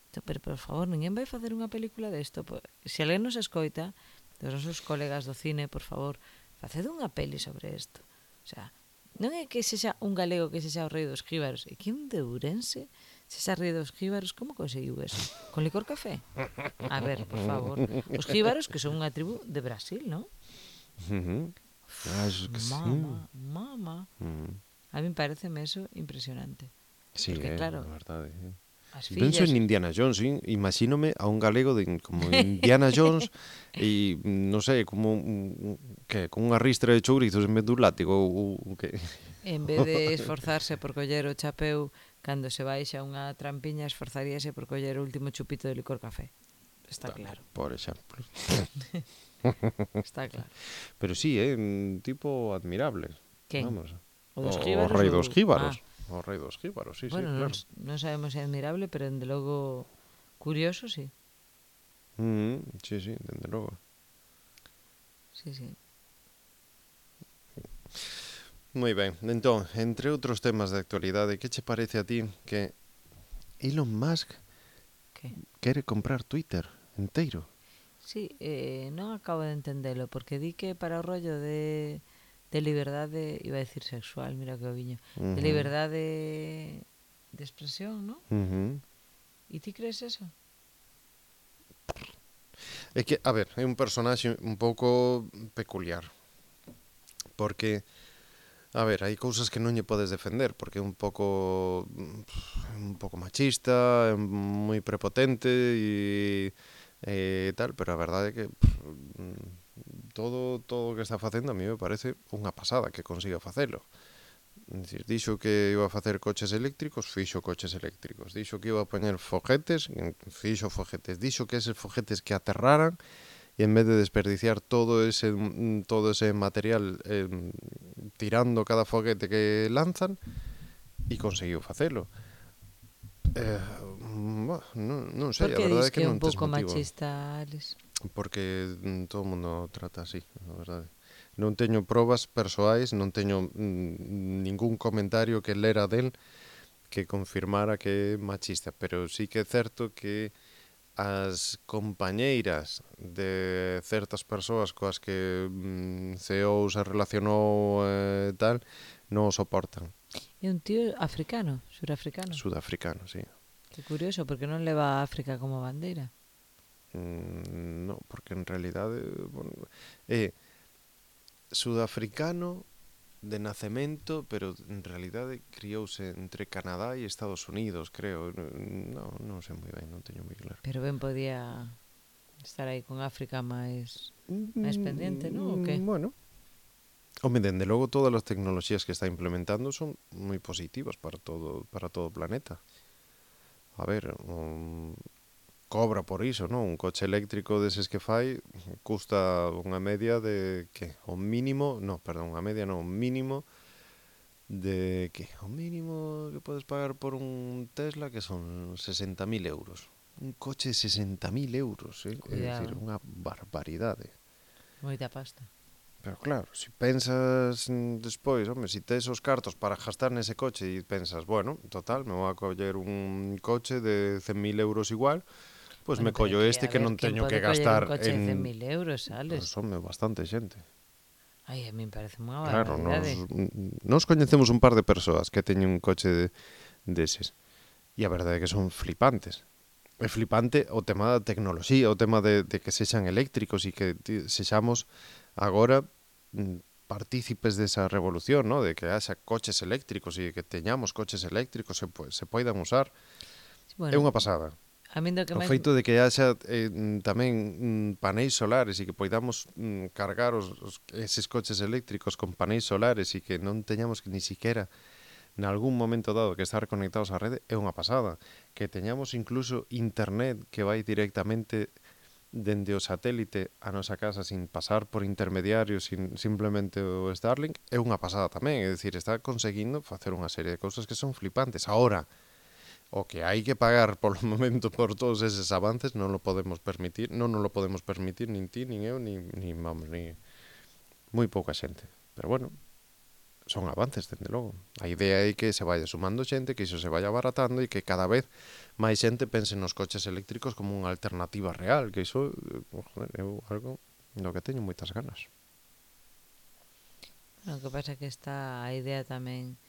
Entón, pero por favor, ninguén vai facer unha película desto. Se alguén nos escoita, dos nosos colegas do cine, por favor, faced unha peli sobre isto. O sea, non é que sexa un galego que sexa o rei dos jíbaros, é que un de Ourense sexa rei dos jíbaros. Como conseguiu eso? Con licor café? A ver, por favor. Os jíbaros que son unha tribu de Brasil, non? Acho que sí. Mama. A mí pareceme eso impresionante. Sí, Porque claro, a verdade. as Penso fillas... en Indiana Jones, ¿sí? Imagínome a un galego como Indiana Jones e, non sei, como que, con unha ristra de chourizos en vez dun látigo ou que... En vez de esforzarse por coller o chapeu cando se baixa unha trampiña, esforzaríase por coller o último chupito de licor café. Está claro. Por exemplo. Está claro. Pero sí, é un tipo admirable. Quen? Vamos. O dos O jíbaros rei ou... dos jíbaros. Ah, O rei dos jíbaros, sí, bueno, claro. non sabemos se é admirable, pero dende logo curioso, sí. Sí, dende logo. Sí, sí. Moi ben, entón, entre outros temas de actualidade, que che parece a ti que Elon Musk Que? quere comprar Twitter enteiro? Sí, non acabo de entendelo, porque di que para o rollo de liberdade, iba a decir sexual, mira que o viño, de liberdade de expresión, non? E ti crees eso? É que, a ver, é un personaxe un pouco peculiar. Porque, a ver, hai cousas que non lle podes defender, porque é un pouco machista, é moi prepotente e tal, pero a verdade é que todo o que está facendo a mí me parece unha pasada que consiga facelo. Dicir, dixo que iba a facer coches eléctricos, fixo coches eléctricos. Dixo que iba a poñer foguetes, fixo foguetes. Dixo que eses foguetes que aterraran e en vez de desperdiciar todo ese material tirando cada foguete que lanzan, e conseguiu facelo. Non Por sei, a que verdade dis é que que é un non tes pouco motivo. machista, Alex? Porque todo o mundo trata así, a verdade. Non teño probas persoais, non teño ningún comentario que lera del que confirmara que é machista, pero sí que é certo que as compañeiras de certas persoas coas que CEO se relacionou tal, non o soportan. É un tío africano, surafricano. Sudafricano, sí. Que curioso, porque non leva a África como bandeira. No, porque en realidade é sudafricano de nacemento, pero en realidade criouse entre Canadá e Estados Unidos, creo. Non sei moi ben, non teño moi claro. Pero ben podía estar aí con África máis pendiente, non? O que? Bueno, home, dende logo todas as tecnoloxías que está implementando son moi positivas para todo o planeta. A ver, cobra por iso, non? Un coche eléctrico deses que fai custa unha media de que o mínimo, unha media non, un mínimo de que o mínimo que podes pagar por un Tesla que son 60.000 euros. Un coche de 60.000 euros, é dicir, Cuidado, unha barbaridade. moita pasta. Pero claro, se pensas despois, home, se tes os cartos para gastar nese coche e pensas, bueno, total, me vou a coller un coche de 100.000 euros igual, pois Bueno, me pero collo que, este a que ver, non quen teño que pode coller un gastar coche de en... 100.000 euros, Pois, sales? home, bastante xente. Ai, a min parece unha Claro, barbaridade. nos coñecemos un par de persoas que teñen un coche deses. E a verdade é que son flipantes. É flipante o tema da tecnoloxía, o tema de que sexan eléctricos e que sexamos agora partícipes desa revolución, ¿no? De que haxa coches eléctricos e que teñamos coches eléctricos se poidan usar. É Bueno, unha pasada. a min do que O máis... feito de que haxa tamén paneis solares e que poidamos cargar eses coches eléctricos con paneis solares e que non teñamos que ni siquiera nalgún momento dado que estar conectados á rede é unha pasada. Que teñamos incluso internet que vai directamente dende o satélite a nosa casa sin pasar por intermediarios, sin simplemente o Starlink, é unha pasada tamén. É dicir, está conseguindo facer unha serie de cousas que son flipantes. Ahora, o que hai que pagar polo momento por todos eses avances non lo podemos permitir, non nos lo podemos permitir nin ti, nin eu, nin vamos, ni moi pouca xente. Pero bueno, son avances, dende logo. A idea é que se vaya sumando xente, que iso se vaya abaratando e que cada vez máis xente pense nos coches eléctricos como unha alternativa real, que iso joder, é algo do que teño moitas ganas. Bueno, o que pasa é que está a idea tamén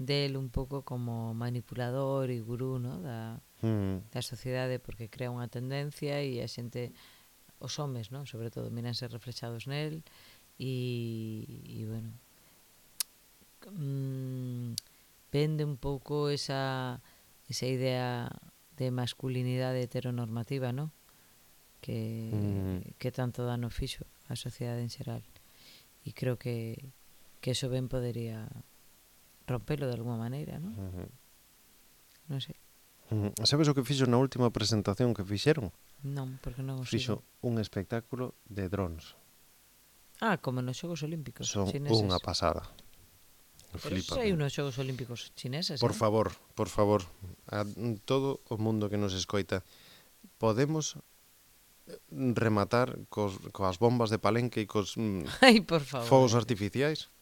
del un pouco como manipulador e gurú, ¿no? Da sociedade, porque crea unha tendencia e a xente, os homes, ¿no? Sobre todo, miranse reflexados nel e bueno, vende un pouco esa idea de masculinidade heteronormativa, ¿no? Que tanto dano fixo a sociedade en xeral. E creo que eso ben podería rompelo de alguma maneira, ¿no? Non sei. Sabes o que fixo na última presentación que fixeron? Non, porque non o Fixo sigo. un espectáculo de drons. Ah, como nos Xogos Olímpicos Son chineses. unha pasada. Pero eso hai unos Xogos Olímpicos chineses, Por favor, a todo o mundo que nos escoita, podemos rematar coas bombas de Palenque e cos Ai, por favor. fogos artificiais?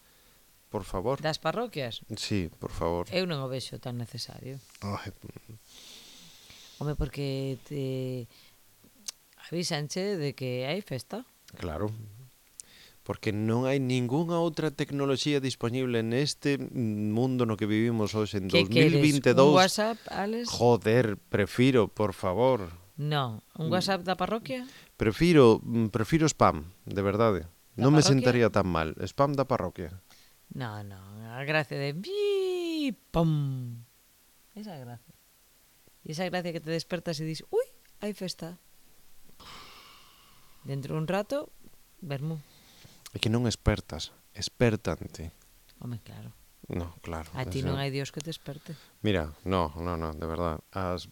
Por favor. Das parroquias? Sí, por favor. Eu non o vexo tan necesario. Ai, Home, porque te avísanche de que hai festa. claro. Porque non hai ningunha outra tecnoloxía disponible neste mundo no que vivimos hoxe en Que queres? 2022. Un WhatsApp, Alex? Joder, prefiro, por favor. Non. Un WhatsApp da parroquia? Prefiro spam, de verdade. Da Non me parroquia? sentaría tan mal. Spam da parroquia. Non, a gracia de bi, pum. Esa gracia. E esa gracia que te despertas e dis, ui, hai festa. Dentro un rato, vermú. É que non espertas, espertante. Home, claro. No, claro. A ti non hai Dios que te esperte. Mira, no, de verdad. As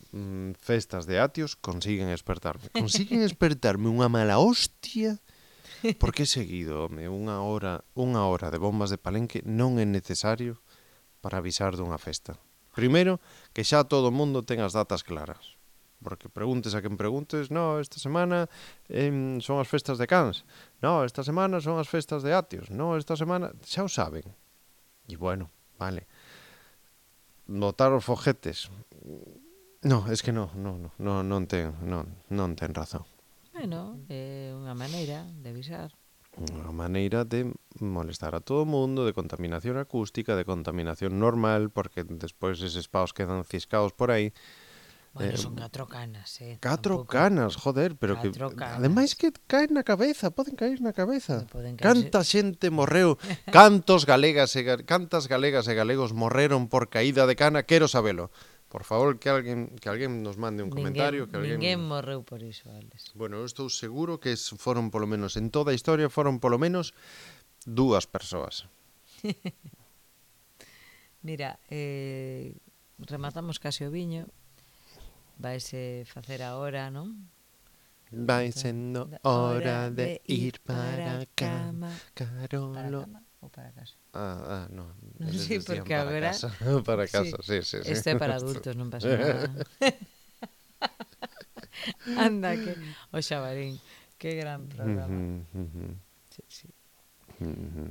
festas de Atios consiguen espertarme. Consiguen espertarme unha mala hostia. Porque seguido, home, unha hora de bombas de Palenque non é necesario para avisar dunha festa. Primeiro, que xa todo o mundo ten as datas claras. Porque preguntes a quen preguntes, no, esta semana son as festas de Cans, no, esta semana son as festas de Atios, no, esta semana, xa o saben. E bueno, vale. Botar os foguetes. No, es que non ten razón. Bueno, é unha maneira de avisar. Unha maneira de molestar a todo o mundo, de contaminación acústica, de contaminación normal, porque despois eses paus quedan ciscaos por aí. Bueno, son 4 canas, 4 tampouco. canas, joder, pero que Canas. ademais que caen na cabeza, poden caer na cabeza. Poden caerse. Canta xente morreu, cantas galegas e galegos morreron por caída de cana, quero sabelo. Por favor, que alguén nos mande un comentario, que alguén Ninguén morreu por iso, Alex. Bueno, eu estou seguro que foron polo menos en toda a historia foron polo menos 2 persoas. Mira, rematamos case o viño. Vaise facer a hora, non? Vai sendo hora de ir para a cama, Para a Carolo. cama ou para casa? No. Non eles sei, decían porque para agora... casa. Para casa, sí. Isto é para adultos, non pasa nada. Anda, que... O Xabarín, que gran programa. Sí.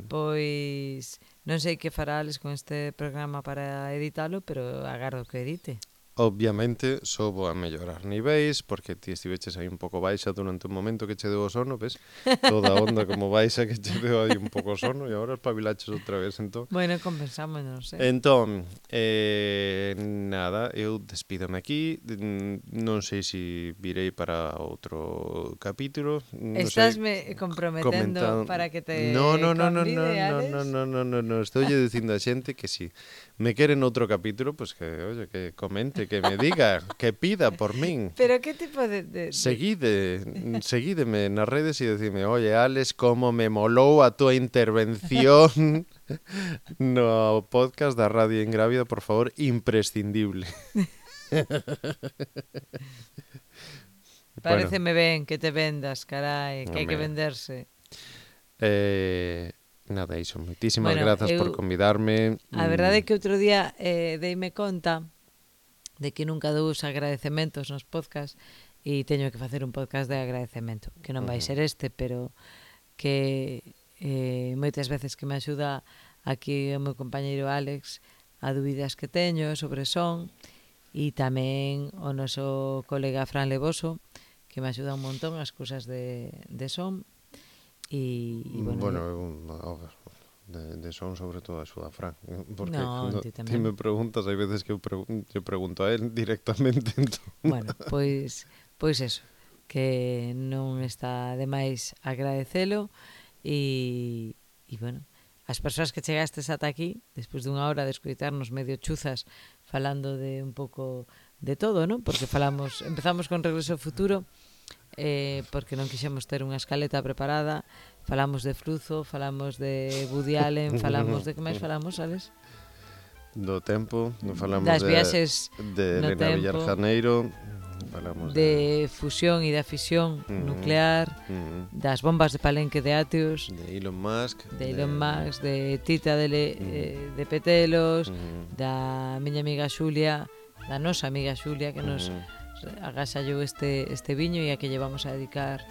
Pois non sei que fará Alex con este programa para editalo, pero agardo que edite. Obviamente só vou a mellorar niveis, porque ti estiveches aí un pouco baixa durante un momento que che deu o sono, ves? Toda a onda como baixa que che deu aí un pouco o sono e agora espabilaches outra vez, entón. Bueno, compensamos, non sei. Entón, nada, eu despídome aquí, non sei se virei para outro capítulo, non sei, Estásme comprometendo para que te no, convide, Alex. no, estoulle dicindo a xente que si me queren outro capítulo, pues que, oye, que comente, que me diga, que pida por min. Pero que tipo de... Seguídeme nas redes e decime, oye, Alex, como me molou a túa intervención no podcast da Radio Ingrávida, por favor, imprescindible. Paréceme ben que te vendas, carai, que hai que Home. venderse. Nada, iso, moitísimas Bueno, grazas por convidarme. A verdade é que outro día deime conta de que nunca dou os agradecementos nos podcast e teño que facer un podcast de agradecemento, que non vai ser este, pero que moitas veces que me axuda aquí o meu compañeiro Alex a dúbidas que teño sobre son, e tamén o noso colega Fran Levoso, que me axuda un montón as cousas de son. E bueno, de son sobre todo axuda a Fran, porque No, ti ti tamén. me preguntas, hai veces que eu pregunto a él directamente, entón. Bueno, pois eso, que non está de máis agradecelo e bueno, as persoas que chegastes ata aquí, despois dunha hora de escoitarnos medio chuzas falando de un pouco de todo, non? Porque empezamos con Regreso ao Futuro, porque non quixemos ter unha escaleta preparada, falamos de Fruzo, falamos de Woody Allen, falamos de que máis falamos, Alex? Do tempo, falamos das viaxes de no Elena tempo, Villar Janeiro, falamos de fusión e da fisión nuclear, das bombas de Palenque de Ateos, de Elon Musk, de Tita de Petelos, da miña amiga Xulia, da nosa amiga Xulia, que nos agasallou este viño e a que llevamos a dedicar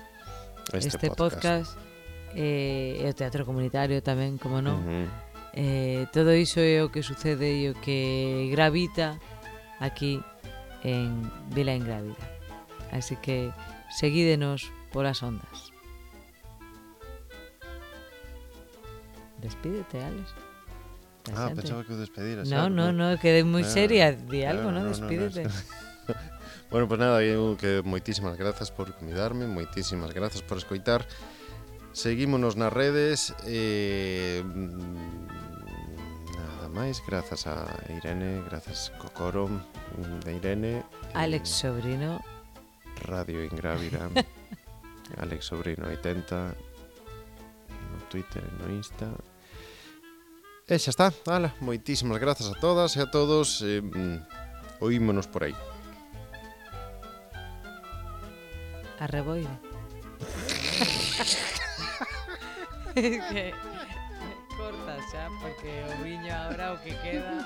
este podcast. E o teatro comunitario tamén, como non. Todo iso é o que sucede e o que gravita aquí en Vila Ingrávida. Así que seguídenos polas ondas. Despídete, Alex. Pensaba que o despedira. No, quedei moi seria. Di algo, non? Despídete. Bueno, pues nada, eu que moitísimas grazas por convidarme, moitísimas grazas por escoitar. Seguímonos nas redes, nada máis, grazas a Irene, grazas Cocoro de Irene, Alex Sobrino, Radio Ingrávida, Alex Sobrino 80, no Twitter e no Insta. E xa está, ala, moitísimas grazas a todas e a todos, oímonos por aí. Arreboire. Que corta xa, porque o viño agora o que queda